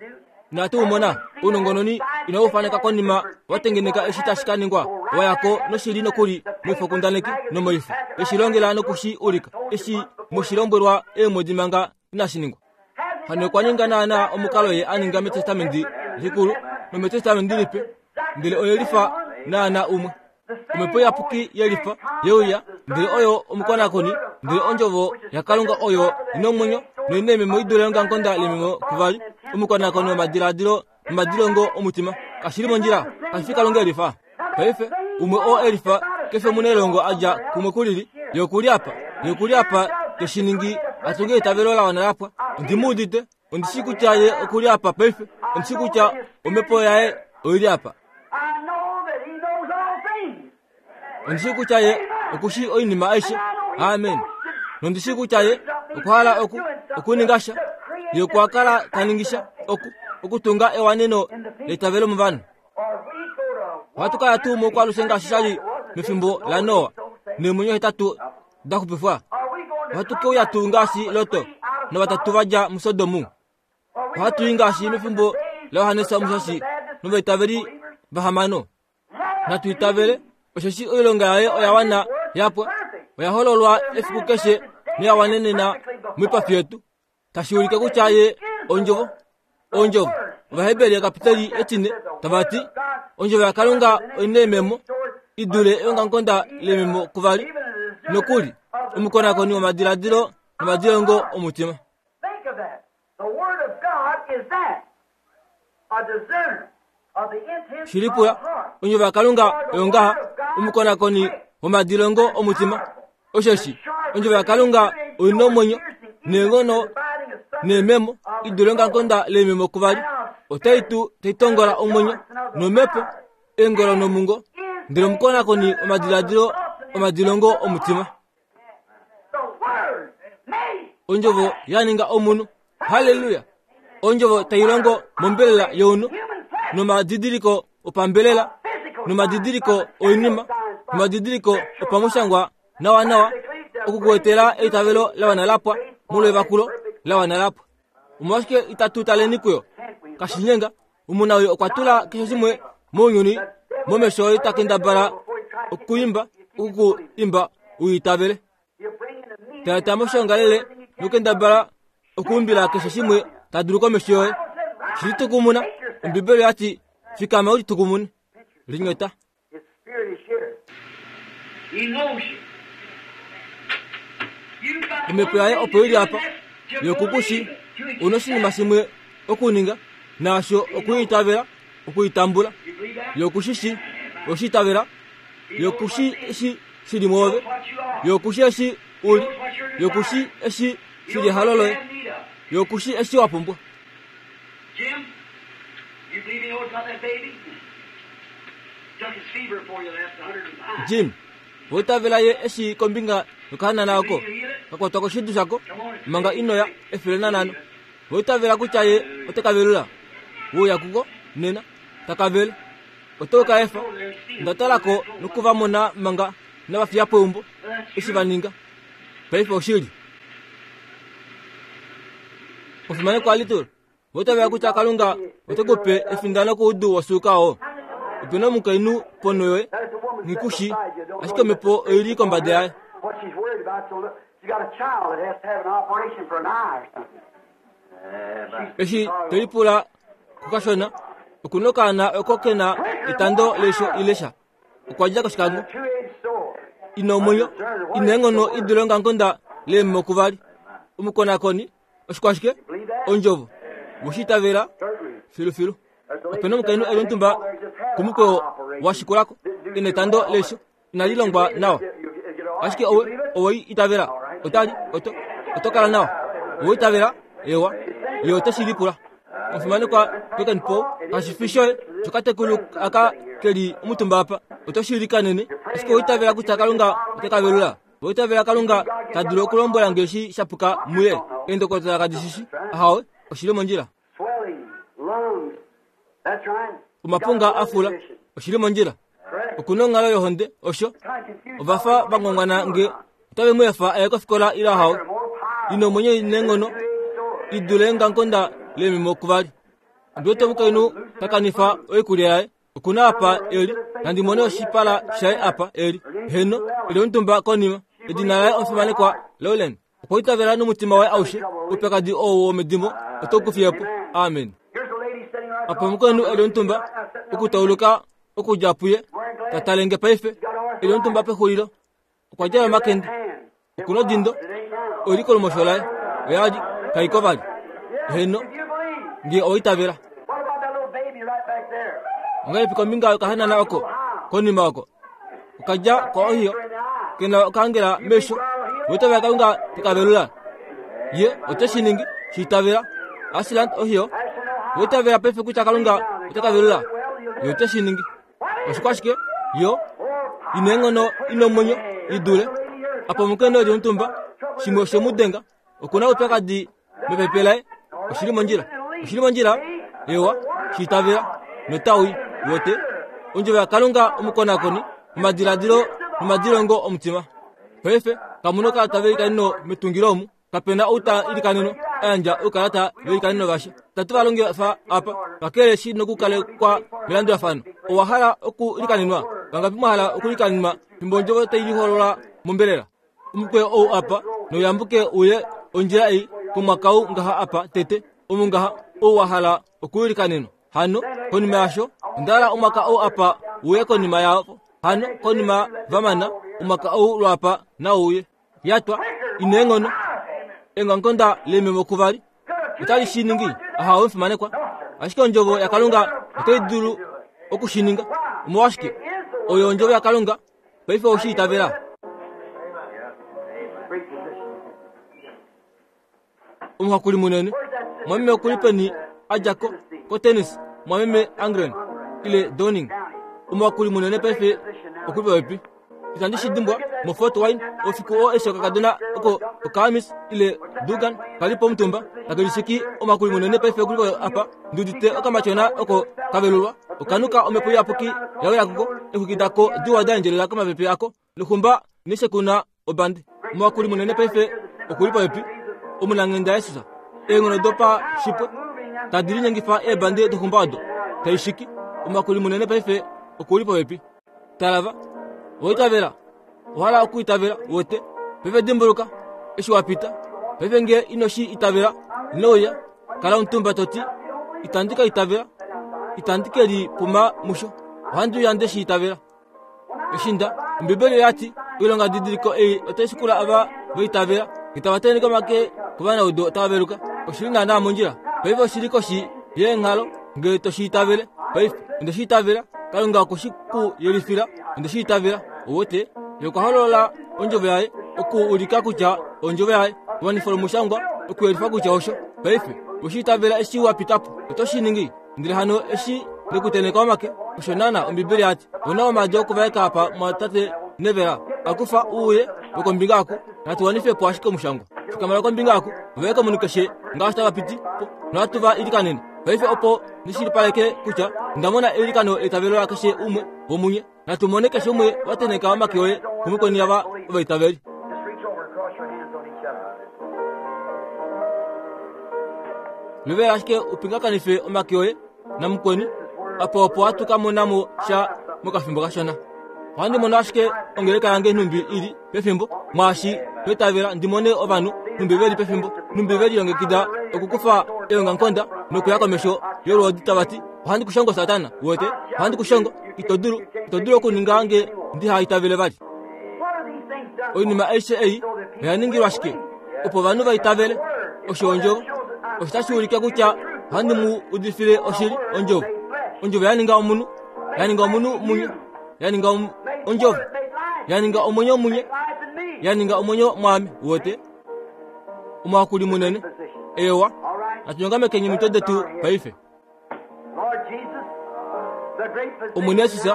S1: Inatu mona ounongononi inau faneka konima watengeneka eshi tashi ka ningwa, wayako noshili nokuli moifokundaneki nomoifo, eshi longela nokushi ulika, eshi mushilombwelwa eemwedi manga inashi ningwa. Hano okwa ninga naana omukalo ye a ninga metestamenti likulu nometestamenti lipe, ndele oyelifa naana umwe. Omhepo iyapuki yelifa yeuya, ndele oyo omukonakoni, ndele ondjovo yaKalunga oyo ina omwenyo noina ememo idule ongangonda lememo kuvali, omukonakoni womadiladilo nomadilongo omutima. Kashili mondjila, kashi fi Kalunga elifa. Paife umwe oo elifa kefe omunelongo adja kumwe kulili, ye okuli apa, ye okuli apa teshiningi atunge eitavelo la wana lapwa. Ondimuudite, ondishi kutya ye okuli apa paife, ondishi kutya omhepo yaye oili apa. Ondishi kutya ye okushi oinima aishe. Amen. Nondishi kutya ye okwahala oku okuninga sha, ye okwa kala taningisha oku okutunga ewaneno leitavelo movanhu. Ohatu kala tuu moukwalushe ngaashi shali mefimbo laNoa, neemwenyo hetatu da xupifwa. Ohatu keuya tuu ngaashi Loto novatatu va dja muSodomu. Ohatu i ngaashi mefimbo laJohannes Omushashi novaitaveli vahamano. Natu itavele, osheshi oilonga yaye oya wana yapwa, oya hololwa efiku keshe noya wanenena moipafi yetu, tashi ulike kutya ye ondjovo. Ondjovo. Ovaheberi kapiteli etine tava ti ondjovo yaKalunga oina ememo idule eongamukonda lememo kuvali, nokuli omukonakoni womadiladilo nomadilongo omutima. Shilipula, ondjovo yaKalunga oyo ngaha, omukonakoni womadilongo omutima. Osheshi ondjovo yaKalunga oina omwenyo neenghono neememo idule ongamukonda lememo kuvali, otai tu taitongola omwenyo nomhepo, eengolo nomungo, ndele omukonakoni womadiladilo omadilongo omutima. Ondjovo ya ninga omunhu. Haleluya! Ondjovo tai longo mombelela younhu, nomadidiliko opambelela, nomadidiliko oinima, nomadidiliko opamushangwa nawa nawa, okukuetela eitavelo la wana lapwa molwevakulo la wana lapwa. Omolwashike itatu taleni kuyo? Kashinyenga, omunawii okwa tula keshe shimwe mounyuni momesho oye ta kendabala okuimba okukuimba uitavele. Taeta moshongalele nokendabala okuumbila keshe shimwe ta dulu komesho yoye. Shilitukumuna, Ombibeli yati fikama ulitukumune. Linyota. Omhepo yaye opo ili apa, ye okukushi una oshinima shimwe okuninga, naasho okuitavela, okuitambula. Ye okushishi, oshiitavela, ye okushi eshi shili mwoove, ye okushi eshi uli, ye okushi eshi shili ehalo loye, ye okushi eshi wa pumbwa.
S2: Jim, you believe he knows about that baby? Took his fever before you left, a hundred and five.
S1: Jim, oitavela ye eshi kombinga yokahanana oko kakwatwa koshidu shako manga inoya efele nanhano. Oitavela kutya ye ote kavelula wouya kuko nena takavele oto ka efa. Ndatalako nokuvamona manga navafiya peumbo eshi va ninga. Paife oshili. Omufimanekwa Little, oitavela kutya Kalunga ote kupe efindano koudu wosuuka oo. Ope na omukainhu ponho yoye, nghikushi, ashike omhepo oili kombada yaye.
S2: What she's worried about, so look, she got a child that has to have an operation for an eye or something.
S1: Eshi tolipula kukashona okunokaana oko kena etando leisho ilesha okwadja koshikango ina omwenyo ina enghono idule ongangonda leemokuvali omukonakoni oshikwashike ondjovo woshiitavela filufilu opena omukainhu eli omutumba komukweyo washikulako ina etando leisho inali longwa nawa ashike owe owe itavela otali oto oto kala nawa owe itavela ewa ye ote lipula omufimanekwa Kekenpo kashifi shoye shokatekulu aka keli omutumba apa oto shilikanene ashike owe itavela kutya Kalunga ote kavelula owe itavela Kalunga tadulu okulombwela ngeshi shapuka muye eendokotola kadishishi ahawe oshili mondjila omapunga afula oshili mondjila okuna onghalo yohonde osho ovafa vangongwana nge otave mu efa aye kofikola ila hawe ina omwenyo inenghono idule ngankonda lemimo kuvali ondiwete omukainhu takanifa oikulya yaye okuna apa eli nandi mone oshipala shaye apa eli heno eli omutumba konima edina laye omufimanekwa Lowland okwa itavela nomutima waye aushe oupyakadi oo womedimo oto kufiyepo amen apa omukainhu eli omutumba okutauluka okudja puye tatalenge paife eli omutumba pexulilo okwa djala omakende okuna odindo oili kolumosho laye oyali kaiko vali heno nge oitavela ongahelipi kombinga yokahanana oko konima oko okadja ko ohiyo kena okahangela mesho oitavela Kalunga tekavelula ye ote shi ningi shiitavela Ashland ohiyo oitavela paife kutya Kalunga otekavelula ye ote shi ningi oshikwashike yo ina enghono ina omwenyo idule apa omukainhu eli omutumba shimwe oshemudenga okuna oupyakadi mepepe laye oshili mondjila oshili mondjila ewa shiitavela notawi wote ondjovo yaKalunga omukonakoni omadiladilo nomadilongo omutima paife kamuna okalata veilikaneno metungilo omu kapena outa ilikaneno ayandja oukalata veilikaneno vasha tatu valongifa apa kakele shi nokukalekwa melandulafano owa hala okuilikanenwa vangapi mwahala okuilikanenwa fimbo ondjovo tailiholola mombelela omukweyo ou apa noyambuke uye ondjila ei komwakau ngaha apa tete omu ngaha ou wa hala okuilikanenwa hano konima yasho ondahala omwaka ou apa uye konima yavo hano konima vamana omwaka ou lwapa nauye yatwa ina enghono engankonda lememo kuvali otali shiningi ahawe mfimanekwa ashike ondjovo yaKalunga otai dulu okushininga omolwashike oyo ondjovo yaKalunga paife oshiitavela omuhakuli munene mwameme okuli peni adjako kotennis mwameme Angren ile Downing omuhakuli munene paife okuli popepi itandi shidimbwa mo Fort Wayne ofiku oo eshi okakadona oko okaamis ile Dugan kali pomutumba takelishiki omuhakuli munene paife okuli apa ndudite okamatyona oko kavelulwa okanuka omhepo iyapuki yawela kuko exwiki dako diwa da endjelela komapepe ako noxumba neshekuna obandi omuhakuli munene paife okuli popepi omunanghenda Yesus eenghono dopa shipwe tadi linyengifa eebandi doxumba odo taishiki omuhakuli munene paife okuli popepi talava oitavela ohala okuitavela wote paife dimbuluka eshi wapita paife nge inoshi itavela inouya kala omutumba toti itandi ka itavela itandi keli puma musho ohandi uya nde shi itavela eshinda ombibeli oyati oilonga didiliko ei otai shikula ava vaitavela itava teneke omake kovanaudo tava veluka oshili naanaa mondjila paife oshili koshi yeenghalo ngele toshi itavele paife onde shi itavela Kalunga okwe ku yelifila onde shi itavela owote ye okwa holola ondjovo yaye okuulika kutya ondjovo yaye wanifa lomushangwa okuyelifa kutya osho paife oshi itavela eshi wapitapo oto shi ningi ndele hano eshi nekuteneka omake osho naana ombibeli yati ona omaadi okuvaeka apa mwatate nevela akufa uuye wokombinga ako natu wanifepo ashike omushangwa fikamala kombinga ako vaeka omunhu keshe ngaashi tava piti po nohatu va ilikanene paife opo nishilipaleke kutya ndamona eilikano eitavelo la keshe umwe womunye natu mone keshe umwe wateneka omake oye kumukweni ava ovaitaveli luvela ashike upingakanife omake oye namukweni apo opo hatu kamonamo sha mokafimbo kashona ohandi mono ashike ongeleka yange nhumbi ili pefimbo mwaashi toitavela ndimone ovanhu nhumbi veli pefimbo nhumbi velilongekida Okukufa eongamukonda nokuya komesho yolwoodi tava ti ohandi ku shongo Satana, uwete, ohandi ku shongo, ito dulu, ito dulu okuninga nge ndiha itavele vali. Oinima aishe ei oya ningilwa shike? Opo ovanhu va itavele osho ondjovo. Osho tashi ulike kutya ohandi mu udifile oshili ondjovo. Ondjovo ya ninga omunhu, ya ninga omunhu munye, ya ninga ondjovo, ya ninga omwenyo munye, ya ninga omwenyo mwaame, uwete. Omuhakuli munene, ewa, natunyongamekeni omitwe detu paife. Omwene Jesus,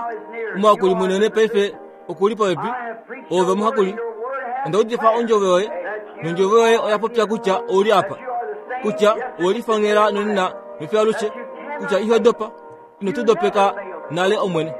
S1: omuhakuli munene paife okuli popepi, ove omuhakuli. Onda udifa ondjovo yoye, nondjovo yoye oya popya kutya ouli apa, kutya owelifongela nonena nofiyo alushe, kutya iho dopa, ino tu dopeka nale Omwene.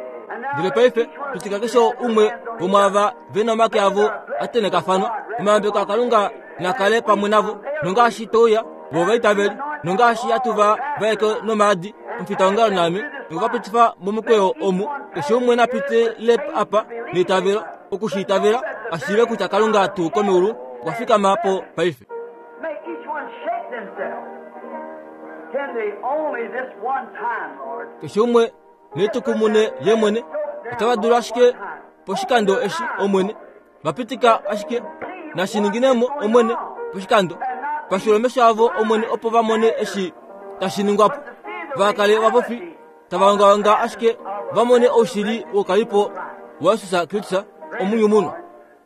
S1: Ndele paife pitika keshe umwe womwaava ve na omake avo a tenekafanwa, omayambeko aKalunga na kale pamwe navo, nongaashi touya vo vaitaveli, nongaashi hatu va vaeke nomaadi omufitaongalo naame, nokuvapitifa momukweyo omu, keshe umwe na pitile apa neitavelo, oku shi itavela, a shiive kutya Kalunga tuu komeulu okwa fikama po paife. Keshe umwe netukumune ye mwene, otava dulu ashike poshikando eshi Omwene, vapitika ashike nashininginemo Omwene poshikando, pashula omesho avo Omwene opo va mone eshi tashi ningwapo, vakale vapofi tava ongaonga ashike va mone oushili wokalipo waJesus Kristus omunyumunwa.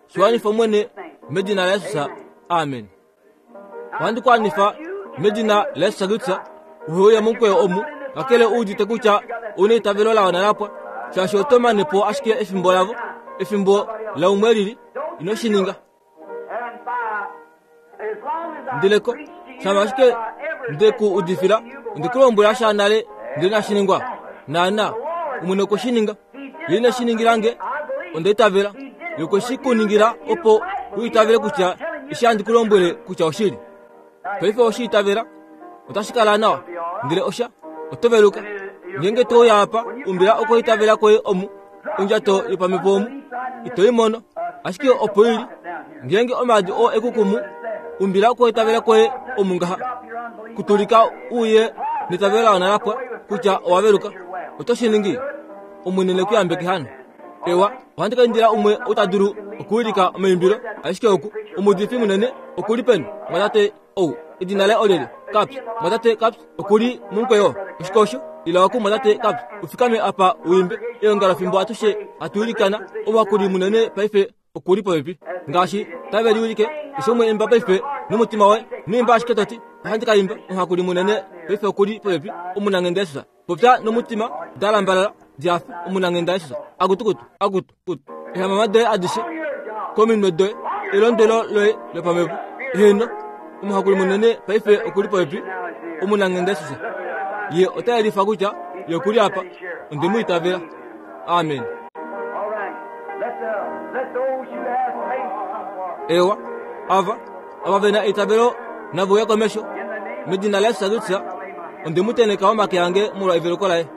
S1: Shiwanifa Omwene medina laJesus, amen. Ohandi ku anifa medina laJesus Kristus, uheuya momukweyo omu, kakele u udite kutya ouna eitavelo la wana lapwa, shaashi oto mane po ashike efimbo lavo, efimbo laumwe lili, ino shi ninga. Ndeleko, shama ashike nde ku udifila, onde ku lombwela sha nale ndele inashi ningwa. Naana, Omwene okwe shi ninga. Ye ine shi ningila nge, onda itavela. Ye okwe shi ku ningila opo u itavele kutya eshi handi ku lombwele kutya oshili. Paife oshi itavela, otashi kala nawa, ndele osha, oto veluka. Ngeenge to uya apa, umbila okweitavela kwoye omu, ondjato yopamhepo omu, ito i mono, ashike opo ili. Ngeenge omaadi oo ekukumu, umbila okweitavela kwoye omu ngaha, kutulika uye netavelo la wana lapwa kutya owa veluka. Oto shi ningi? Omwene ne ku yambeke hano. Ewa, ohandi ka indila umwe ou ta dulu okuwilika omaimbilo, ashike oku, omuudifi munene okuli peni? Mwatate ou, edina laye olyelye? Caps. Mwatate Caps okuli momukweyo. Oshike osho? Ila oku mwatate Caps, ufikame apa uimbe eongalo fimbo atushe hatu ilikana. Omuhakuli munene paife okuli popepi. Ngaashi tave liwilike, keshe umwe imba paife nomutima woye, noimba ashike toti, ohandi ka imba, omuhakuli munene paife okuli popepi, omunanghenda Jesus. Popya nomutima, dalambalala, dihafe, omunanghenda Jesus. Akutukutu, akutu, kutu. Ehamama doye adishe, kominwe doye, elondwelo loye lopamhepo. Heno, omuhakuli munene paife okuli popepi, omunanghenda Jesus. Ye ota yelifa kutya ye okuli apa, onde mu itavela. Amen. Ewa, ava, ava ve na eitavelo nave uya komesho, medina laJesus Kristus, onde mu tenheka omake ange molwa eveluko laye.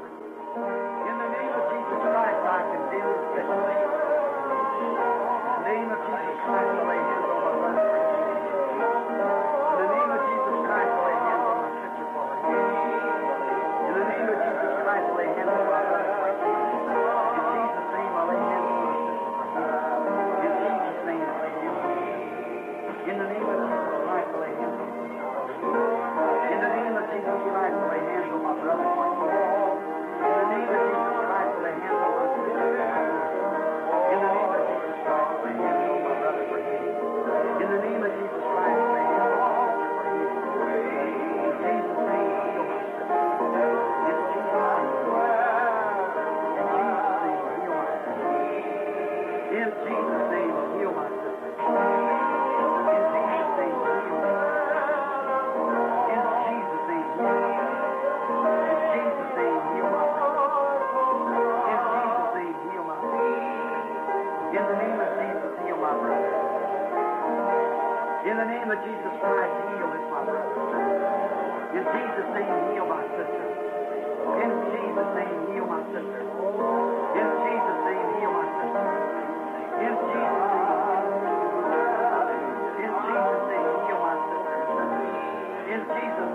S2: In Jesus'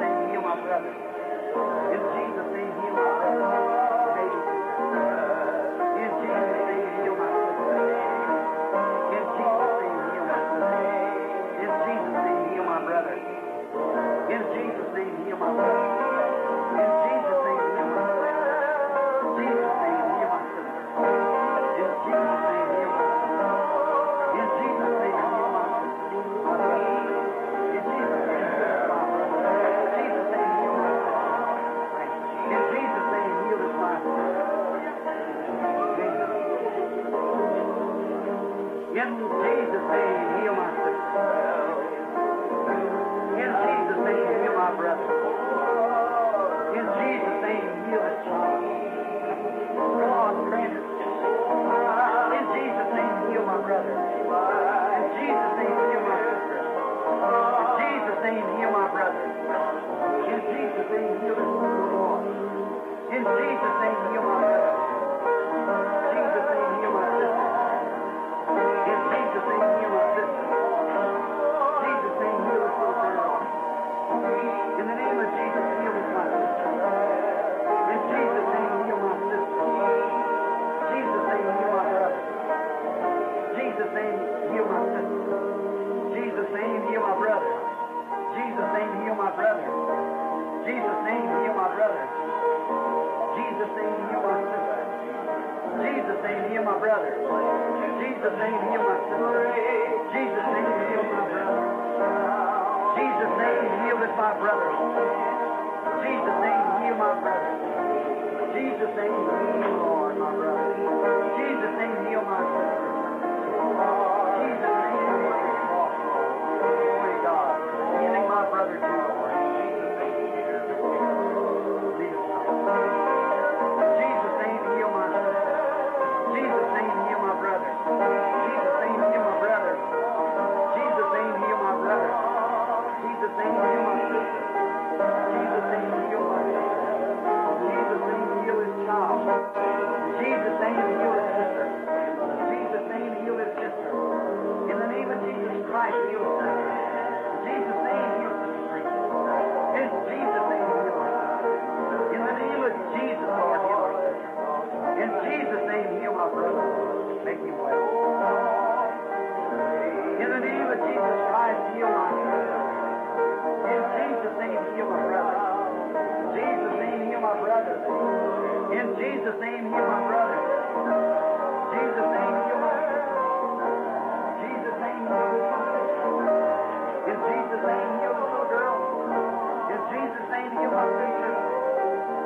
S2: Jesus' name, heal my brother. Jesus' name, heal my sister. Jesus' name, heal my brother. Jesus' name, heal my sister. Jesus' name, heal my brother. Jesus' name, heal this my brother. Jesus' name, heal my brother. Jesus' name, heal, Lord, my brother. Jesus' name, heal my sister. Jesus' name, heal my cross, Lord. Glory to God. Healing my brother too, Lord. Jesus' name, lead us now. Jesus' name, heal my sister. Jesus' name, heal my brother. Jesus' name, heal my brother. Jesus' name, heal my brother. Jesus' name, heal my sister. Jesus' name, heal my sister. Jesus' name, heal his child. Jesus' name, heal his sister. Jesus' name, heal his sister. In the name of Jesus Christ, heal his sister. Jesus' name, heal sister Priest. In Jesus' name, heal her sister. In the name of Jesus, Lord, heal her sister. In Jesus' name, heal my brother. Make him well. In the name of Jesus Christ, heal my sister. In Jesus' name, heal my brother. In Jesus' name, heal my brother. In Jesus' name, heal my brother. Jesus' name, heal my sister. Jesus' name, heal my sister. In Jesus' name, heal the little girl. In Jesus' name, heal my sister.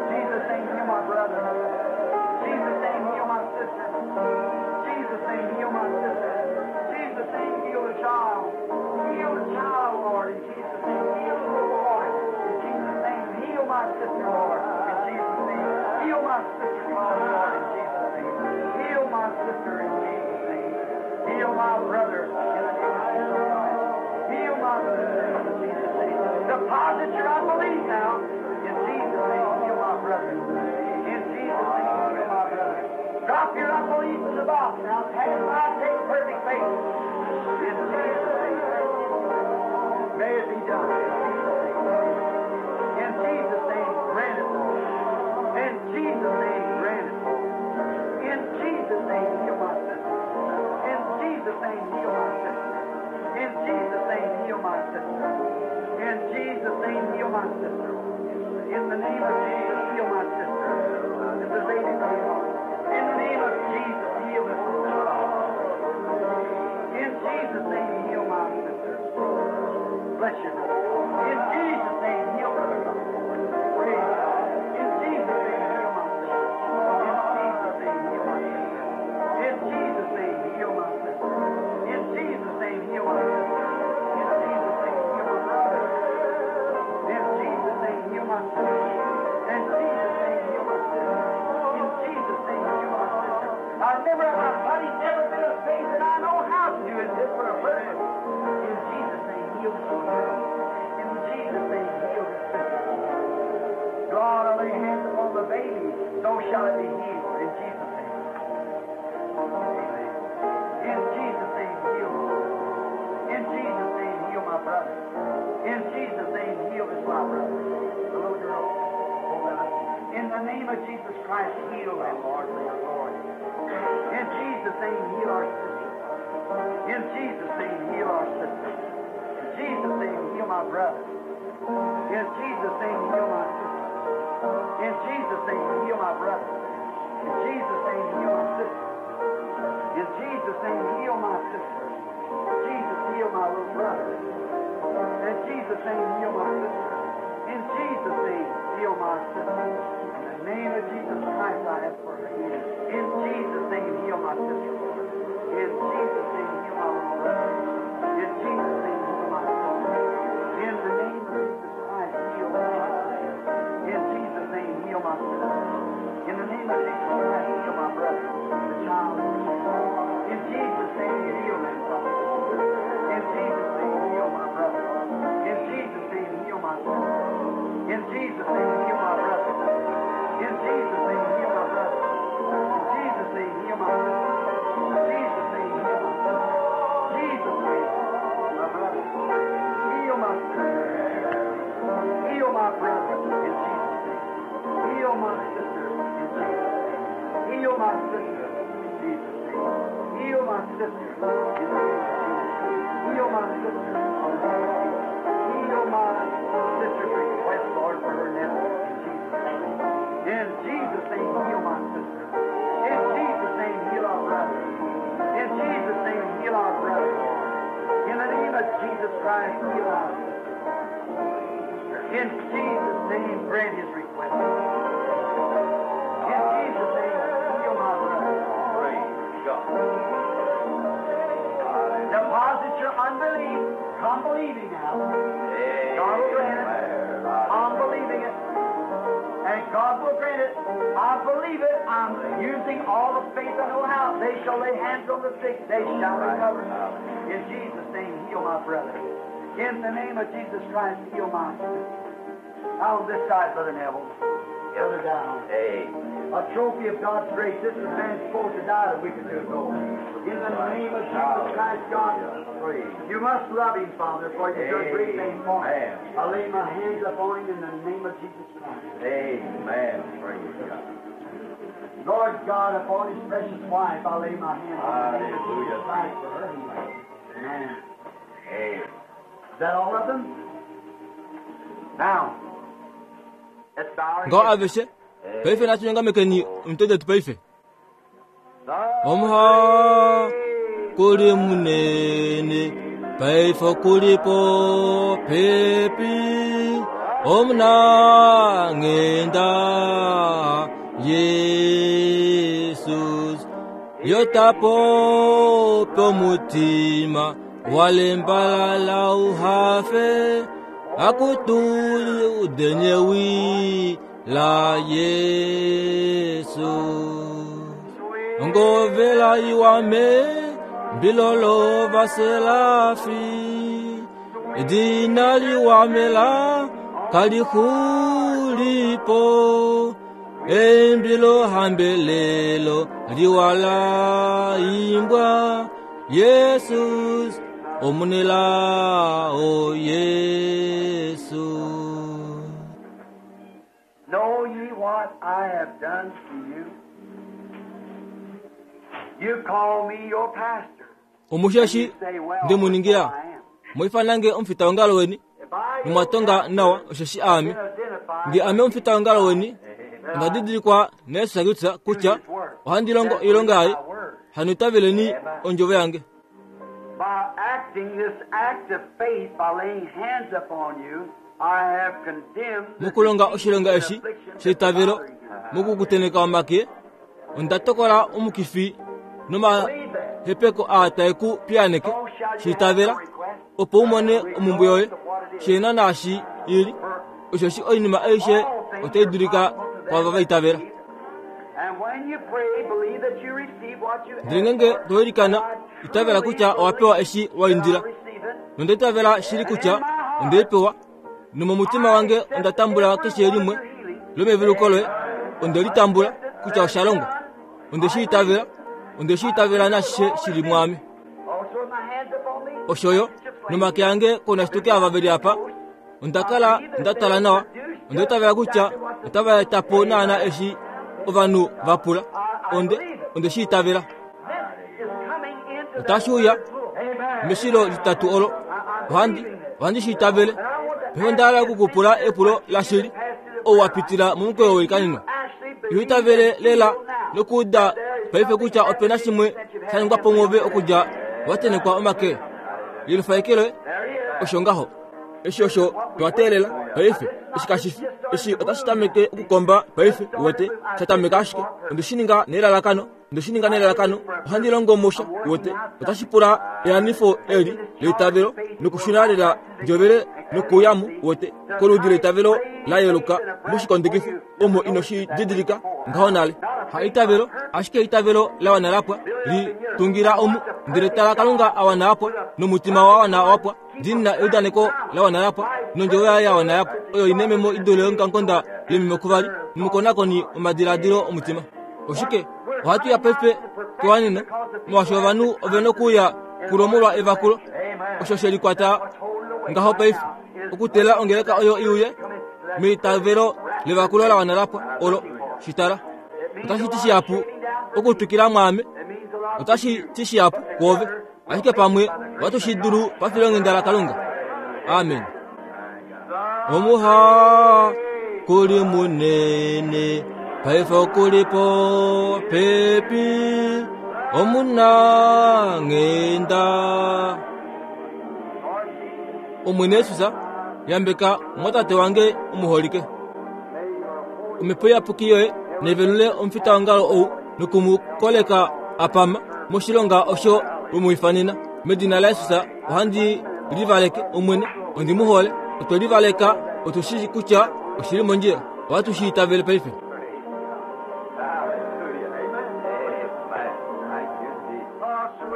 S2: Jesus' name, heal my brother. Jesus' name, heal my sister. Jesus' name, heal my sister. Jesus' name, heal the child. Heal the child, Lord, in Jesus' name. Heal the little boy. In Jesus' name, heal my sister, Lord, in Jesus' name. Heal my sister, Lord, Lord, in Jesus' name. Heal my sister in Jesus' name. Heal my brother in the name of Jesus Christ. Heal my sister in Jesus' name. Deposit your unbelief now. In Jesus' name, heal my brother. In Jesus' name, heal my brother. Drop your unbelief in the box now. Pass by, take perfect faith. In Jesus' name. May it be done. In Jesus' name. In Jesus' name, grant it, Lord. In Jesus' name, grant it, Lord. In Jesus' name, heal my sister. In Jesus' name, heal my sister. In Jesus' name, heal my sister. In Jesus' name, heal my sister. In the name of Jesus, heal my sister. This is Lady Green. In the name of Jesus, heal this little child. In Jesus' name, heal my sister. Bless you, brother. In Jesus' name, heal brother. Praise God. In Jesus' name, heal my sister. In Jesus' name, heal my sister. In Jesus' name, heal my sister. In Jesus' name, heal my sister. In Jesus' name, heal my brother. In Jesus' name, heal my sister. In Jesus' name, heal my sister. In Jesus' name, heal my sister. I've never, my body's never been a faith that I know how to do it just for a purpose. In Jesus' name, heal this little girl. In Jesus' name, heal this sister. God, I lay hands upon the baby, so shall it be healed. In Jesus' name. Amen. In Jesus' name, heal me. In Jesus' name, heal my brother. In Jesus' name, heal this my brother. The little girl. Oh God. In the name of Jesus Christ, heal them, Lord, for your glory. In Jesus' name, heal our sister. In Jesus' name, heal our sister. In Jesus' name, heal my brother. In Jesus' name, heal my sister. In Jesus' name, heal my brother. In Jesus' name, heal my sister. In Jesus' name, heal my sister. Jesus, heal my little brother. In Jesus' name, heal my sister. In Jesus' name, heal my sister. In the name of Jesus Christ, I ask for her healing. In Jesus' name, heal my sister, Lord. In Jesus' name, heal my little brother. In Jesus' name, heal my sister. In the name of Jesus Christ, heal my sister. In Jesus' name, heal my sister. In the name of Jesus Christ, heal my brother, the child. In Jesus' name, heal them, Father. In Jesus' name, heal my brother. In Jesus' name, heal my sister. In Jesus' name, heal my brother. In Jesus' name, heal my brother. In Jesus' name, heal my sister. In Jesus' name, heal my sister. Jesus' name, my brother. Heal my sister. Heal my brother in Jesus' name. Heal my sister in Jesus' name. Heal my sister in Jesus' name. Heal my sister in the name of Jesus. Heal my sister in the name of Jesus. Heal my sister's request, Lord, for her. Christ, heal our sister. In Jesus' name, grant his request. In Jesus' name, heal my brother.
S3: Praise God.
S2: Deposit your unbelief. Come believing now. God will grant it. I'm believing it. And God will grant it. I believe it. I'm using all the faith I know how. They shall lay hands on the sick. They shall recover. In Jesus' name, heal my brother. In the name of Jesus Christ, heal my sister. Out on this side, Brother Neville. Brother down.
S3: Amen.
S2: A trophy of God's grace. This is man supposed to die a week or two ago. In the name of Jesus Christ, God,
S3: Praise.
S2: you must love him, Father, for you've done great things for him.
S3: Amen.
S2: I lay my hands upon him in the name of Jesus Christ.
S3: Amen. Praise God.
S2: Lord God, upon his precious wife, I lay my hands in the name of Jesus
S3: Hallelujah.
S2: Christ for her healing. Amen.
S3: Amen.
S2: Is that all of them? Now, let's bow our
S1: Ngaho
S2: heads.
S1: aveshe paife nachinyongamekeni omitwe detu paife omuha kuli munene paife kulipo pepi omunangenda Yesus yotapo pomutima walembalala uhafe akutuli udenyewi la Yesu ngovela iwame mbilolo vaselafi dina liwamela kalikhulipo embilo hambelelo liwala imbwa Yesus omunela o Yesu.
S2: Know ye what I have done to you? You call me your pastor.
S1: Omushashi
S2: You say, well,
S1: ndi muningira
S2: I am.
S1: mwifanange omufita wongalo weni
S2: If I
S1: nimwatonga nawa osheshi aame
S2: been identified
S1: ndi ame omufita wongalo weni ondadidilikwa neesakitsa kutya ohandi longo ilonga yaye hanitaveleni ondjovo yange
S2: by acting this act of faith, by laying hands upon you, I have condemned the
S1: mukulonga
S2: disease
S1: oshilonga
S2: and
S1: eshi
S2: affliction that's
S1: sheitavelo
S2: bothering you.
S1: mukukuteneka omake onda tokola omukifi nomahepeko aa tae ku piyaneke
S2: So shall you have
S1: shiitavela
S2: no request.
S1: opo umone omumbu yoye shena naashi ili oshoshi oinima aishe otai dulika kwava vaitavela
S2: And when you pray, believe that you receive what you
S1: ndele ngenge
S2: ask for.
S1: toilikana itavela kutya owapewa eshi waindila
S2: I receive it.
S1: nonda itavela shili kutya ondeipewa nomomutima wange onda tambula keshe limwe lomeviluko loye onde litambula kutya osha longwa onde shi itavela onde shi itavela nashishe shili mwame
S2: Also, my hands upon me.
S1: oshoyo nomake ange kona shituke ava veli apa ondakala ndatala nawa onda itavela kutya otava etapo naana eshi ovanhu vapula onde onde shi itavela
S2: This is coming into
S1: otashi uya
S2: the pool. Amen.
S1: meshilo litatu olo ohandi ohandi shi itavele peho ndahala okukupula epulo lashili ou wapitila momukweyo weikanino
S2: Actually
S1: iho itavele lela nokuuda paife kutya opena shimwe sha ningwa po mwoove okudja watenekwa omake lilufaikile
S2: There he is.
S1: osho ngaho eshi osho twateelela paife eshi kashifi eshi otashi tameke okukomba paife uwete shatameka ashike onde shi ninga nelalakano onde shi ninga nelalakano ohandi longo musha uwete otashi pula eanifo eli leitavelo nokushuna lela njovele nokuyamu uwete koludi leitavelo la yeluka moshikondekifo omo ino shi didilika ngaho nale ha itavelo ashike itavelo la wana lapwa li tungila omu ndele tala kalunga awana apwa nomutima wa wana wapwa ndina eudaneko la wana yapwa nondjovo yaye ya wana yapwa oyo ina ememo idule yonkankonda lememo kuvali nomukonakoni omadiladilo omutima oshike ohatu ya paife kewaneno molwaashi ovanhu ovena okuuya kulomolwa evakulo osho she likwata ngaho paife okutela ongeleka oyo iuye meitavelo levakulo la wana lapwa olo shitala otashi ti shihapu okutwikila mwaame otashi ti shihapu kwoove ashike pamwe ohatu shi dulu pafilonghenda lakalunga amen omuha kuli munene paife okulipo pepi omunanghenda
S2: Lord Jesus,
S1: Omwene Yesus yambeka mwatate wange omuholike. Omhepo iyapuki yoye nevelule omufitaongalo ou nokumukoleka apama moshilonga osho wemuifanena. Medina laYesus ohandi livaleke Omwene, ondi mu hole. Otwe livaleka, otu shi kutya oshili mondjila. Ohatu shi itavele paife.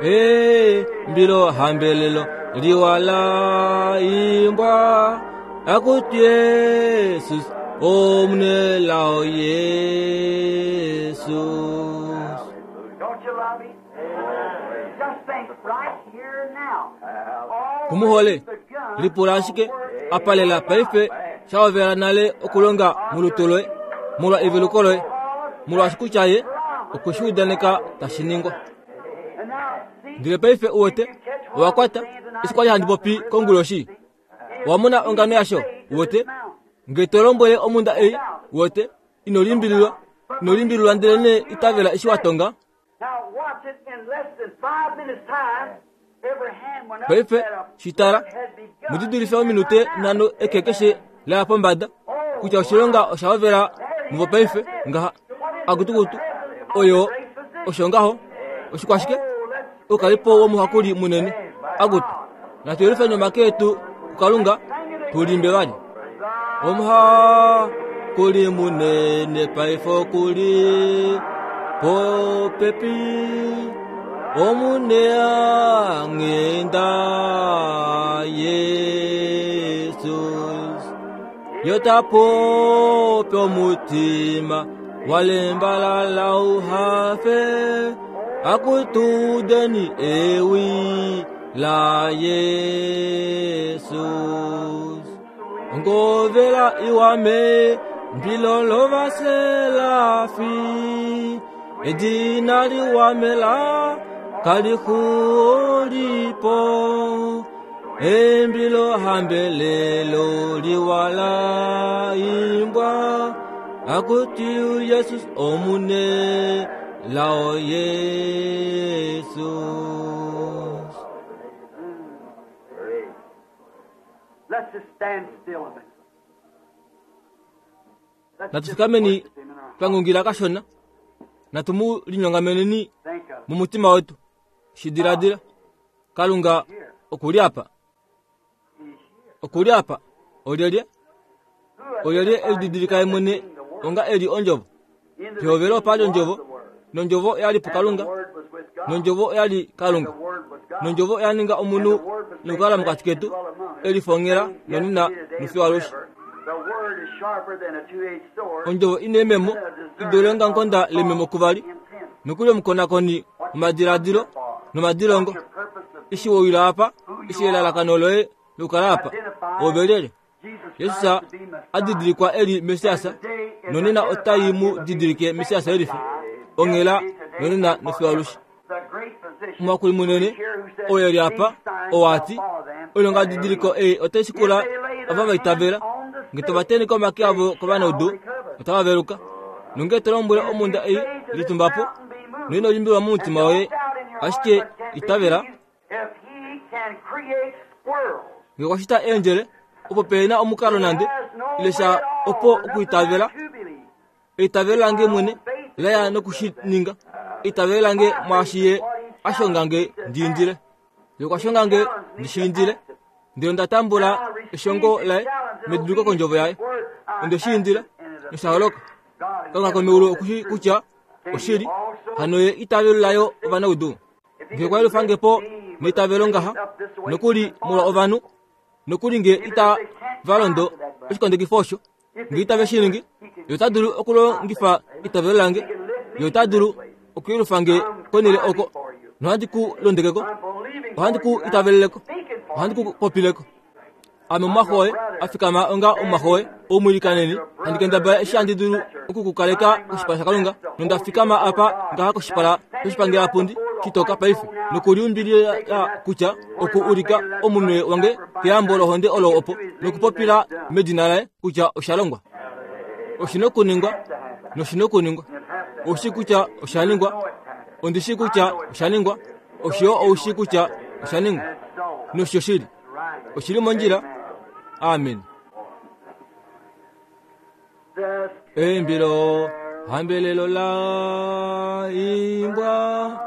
S1: Ee, mbilo hambelelo liwala imbwa akuti Yesus omunelao Yesus.
S2: Don't you love him? Just think right here now.
S1: Kumuhole lipula ashike apalela paife shaovela nale okulonga mulutu loye molwa eveluko loye molwaashi kutya ye okweshiudaneka tashi ningwa. Ndele paife uwete owakwata eshi kwali handi popi konguloshi. Owamona ongano yasho uwete nge to lombwele omunda ei uwete ino limbililwa ino limbililwa ndele ne itavela eshi watonga.
S2: Now watch it in less than five minutes time. Every hand went up
S1: Paife
S2: that a
S1: shitala
S2: had begun.
S1: mudidulife ominute nhano eke keshe laya pombada kutya oshilonga oshahovela muvo paife ngaha akutukutu oyo osho ngaho oshikwashike okalipo womuhakuli munene akutu natuyelufe nomake etu kukalunga tulimbe vali. Omuhakuli munene paife okuli popepi omune angenda Yesus yotapope omutima walembalala uhafe akutudeni ewi la Yesus. Ngovela iwame mbilolo vaselafi edina liwamela kalikulipo embilo hambelelo liwala imbwa akuti Yesus omune lao Yesus.
S2: Let's just stand still a minute. Let's just
S1: Natufikameni
S2: worship him in our heart.
S1: twangungila kashona natumu linyongameneni
S2: Think of
S1: mumutima wetu shidiladila Kalunga okuli apa
S2: He's here.
S1: okuli apa olyelye
S2: Who
S1: olyelye
S2: identifies
S1: elididilika yemwene
S2: being the Word?
S1: onga eli ondjovo
S2: In the
S1: pihovelo pali
S2: beginning
S1: ondjovo
S2: was the Word.
S1: nondjovo yali
S2: And the
S1: pukalunga
S2: Word was with God.
S1: nondjovo yali
S2: And the
S1: Kalunga
S2: Word was God.
S1: nondjovo yaninga
S2: And
S1: omunhu
S2: the Word was made
S1: nokukala
S2: flesh
S1: mokati
S2: and
S1: ketu
S2: dwelt among us,
S1: elifongela
S2: saying,
S1: nonena
S2: yesterday, today, and
S1: nofiwalushi.
S2: forever. The Word is sharper than a two-edged sword,
S1: Ondjovo ina ememo
S2: and a
S1: idule
S2: discerner
S1: onga
S2: of
S1: nkonda
S2: the
S1: lememo
S2: thoughts
S1: kuvali
S2: and intents.
S1: nokuli omukonakoni omadiladilo nomadilongo
S2: What's your purpose of
S1: eshi woyila apa eshi elalakano loye lokukala apa ovelele
S2: Jesus
S1: Yesus
S2: Christ to be Messiah?
S1: adidilikwa eli Mesiasa nonena otayi mu didilike Mesiasa elife onghela nonena nofiwalushi.
S2: The great physician
S1: Omuhakuli munene oyo eli apa owati oilonga didiliko ei otai shikula ava vaitavela nge tovateneka omake avo kovanaudu otava veluka nonge to lombwele omunda ei litumbapo noino limbilwa mumutima woye ashike itavela
S2: If he can create squirrels,
S1: nge kwashita eendjele opo pena omukalo nande ile sha opo okuitavela eitavelo lange mwene laya nokushininga eitavelo lange mwaashi ye ashongange ndiindile ye kwashongange ndishiindile ndele onda tambula eshongo laye mediduliko kondjovo yaye onde shiindila noshaholoka Kalunga komeulu okushi kutya oshili hano ye itavelo layo ovanaudu nge kwailufangepo neitavelo ngaha nokuli molwa ovanhu nokuli nge ita valondo oshikondekifo osho nge itave shiningi ye ota dulu okulongifa itavelo lange ye ota dulu okuyelufange konele oko nohandi ku londekeko ohandi ku itaveleleko ohandi ku popileko ame omumwaxo woye afikama onga omumwaxo woye oumwilikaneni handi kendabala eshi handi dulu okukukaleka koshipala shakalunga nonda fikama apa ngaha koshipala shoshipangelapundi shitoka paife nokuliumbilila kutya oku ulika omunwe wange keyambo lohonde olo opo nokupopila medina laye kutya osha longwa oshina okuningwa noshina okuningwa oushi kutya osha ningwa ondishi kutya osha ningwa oshiyo oushi kutya osha ningwa nosho shili. Oshili mondjila. Amen. Eimbilo hambelelo la imbwa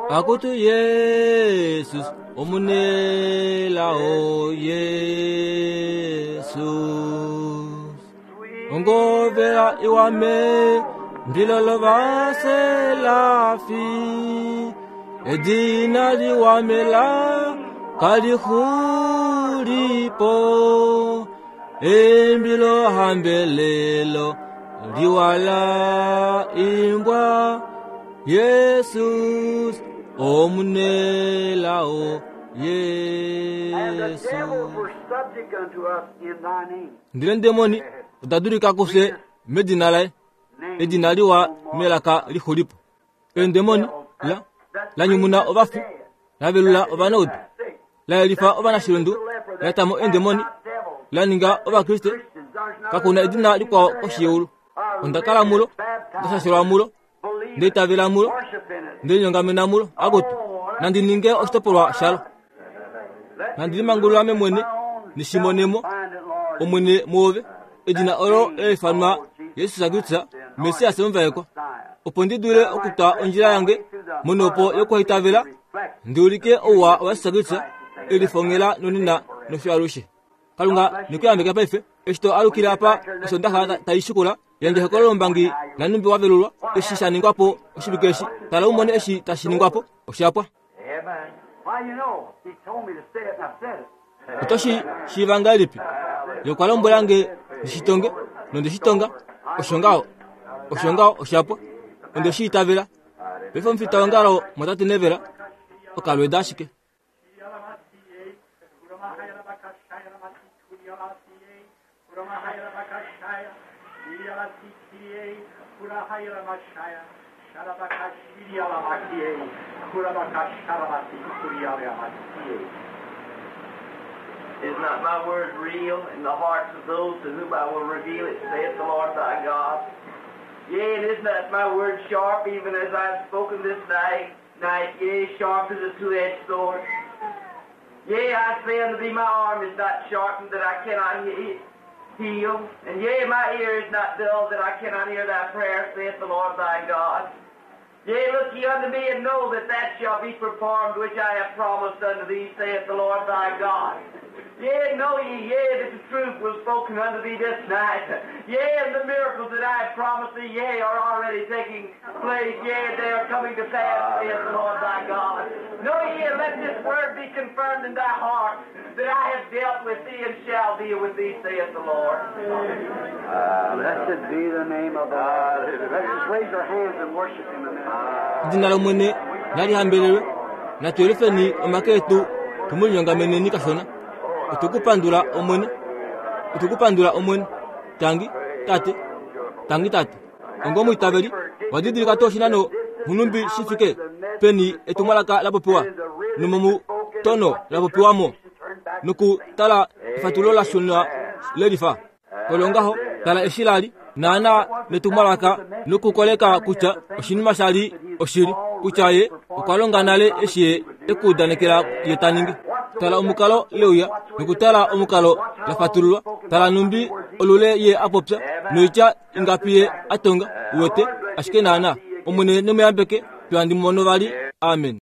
S1: akutu Yesus omunelao Yesus ongovela iwame mbilolo vaselafi edina liwamela kalixulipo embilo hambelelo liwala imbwa Yesus omunelao
S2: And the
S1: Yesu.
S2: devils were subject unto us in thy name.
S1: Ndele ndemoni odadulika kufye medina laye
S2: Name
S1: edina liwa melaka lixulipo. Endemoni la lanyumuna ovafi lavelula ovanaudu layelifa ovanashilundu latamo endemoni laninga ovakriste kakuna edina likwao koshi yeulu. Onda kala mulo, ndashashelwa mulo, ndeitavela mulo, ndelinyongamena mulo akutu nandi ninge oshitopolwa shalo. Nandi limangulula ame mwene nishimonemo omwene muove edina olo elifanwa Yesus Kristu Mesias omuvaekwa opo ndi dule okutwa ondjila yange monopo yokuhitavela ndiulike ouwa wa Yesus Kristu elifongela nonena nofyo alushe. Kalunga nikuyambeka paife eshi to alukila apa osondaxa taishikula yandje ehokololo lombangi lanumbi wavelulwa eshi shaningwapo oshivike eshi tala umone eshi tashiningwapo oshapwa.
S3: Amen.
S2: Why, you know, he told me to say it, and I said it.
S1: Otoshi shiiva ngahelipi? Ye okwa lombwela nge ndishitonge nondeshitonga osho ngaho osho ngaho oshapwa onde shi itavela. Paife omufita wongalo mwatate Nevela okalweda ashike.
S3: Is not my word real in the hearts of those to whom I will reveal it, saith the Lord thy God? Yea, and is not my word sharp, even as I have spoken this night, night, yea, sharp as a two-edged sword? Yea, I say unto thee, my arm is not sharpened that I cannot he- heal, and yea, my ear is not dull that I cannot hear thy prayer, saith the Lord thy God. Yea, look ye unto me, and know that that shall be performed which I have promised unto thee, saith the Lord thy God. Yea, know ye, yea, that the truth was spoken unto thee this night. Yea, and the miracles that I have promised thee, yea, are already taking place. Yea, they are coming to pass, saith the Lord thy God. Know ye, and let this word be confirmed in thy heart, that I have dealt with thee and shall deal with thee, saith the Lord.
S2: Blessed be the name of the Lord. Let's just raise our hands and worship him a minute.
S1: Edina lomwene nalihambelelwe natuyelifeni omake etu tumulinyongameneni kashona. Otukupandula omwene, otukupandula omwene. Tangi tate, tangi tate. Onga omwiitaveli wadidilika tuu oshinano nhunumbi shifike peni etumwalaka lapopiwa nomomutono lapopiwamo nokutala efatulo lashuna lelifa. Olo ngaho tala eshi lali naana netumwalaka nokukoleka kutya oshinima shali oshili kutya ye okwa longa nale eshi ye ekuudanekela ye ta ningi. Tala omukalo leuya nokutala omukalo lafatululwa. Tala numbi olule ye apopya noitya ingapi ye atonga uwete ashike naana omwene nemuyambeke twandi mono vali. Amen.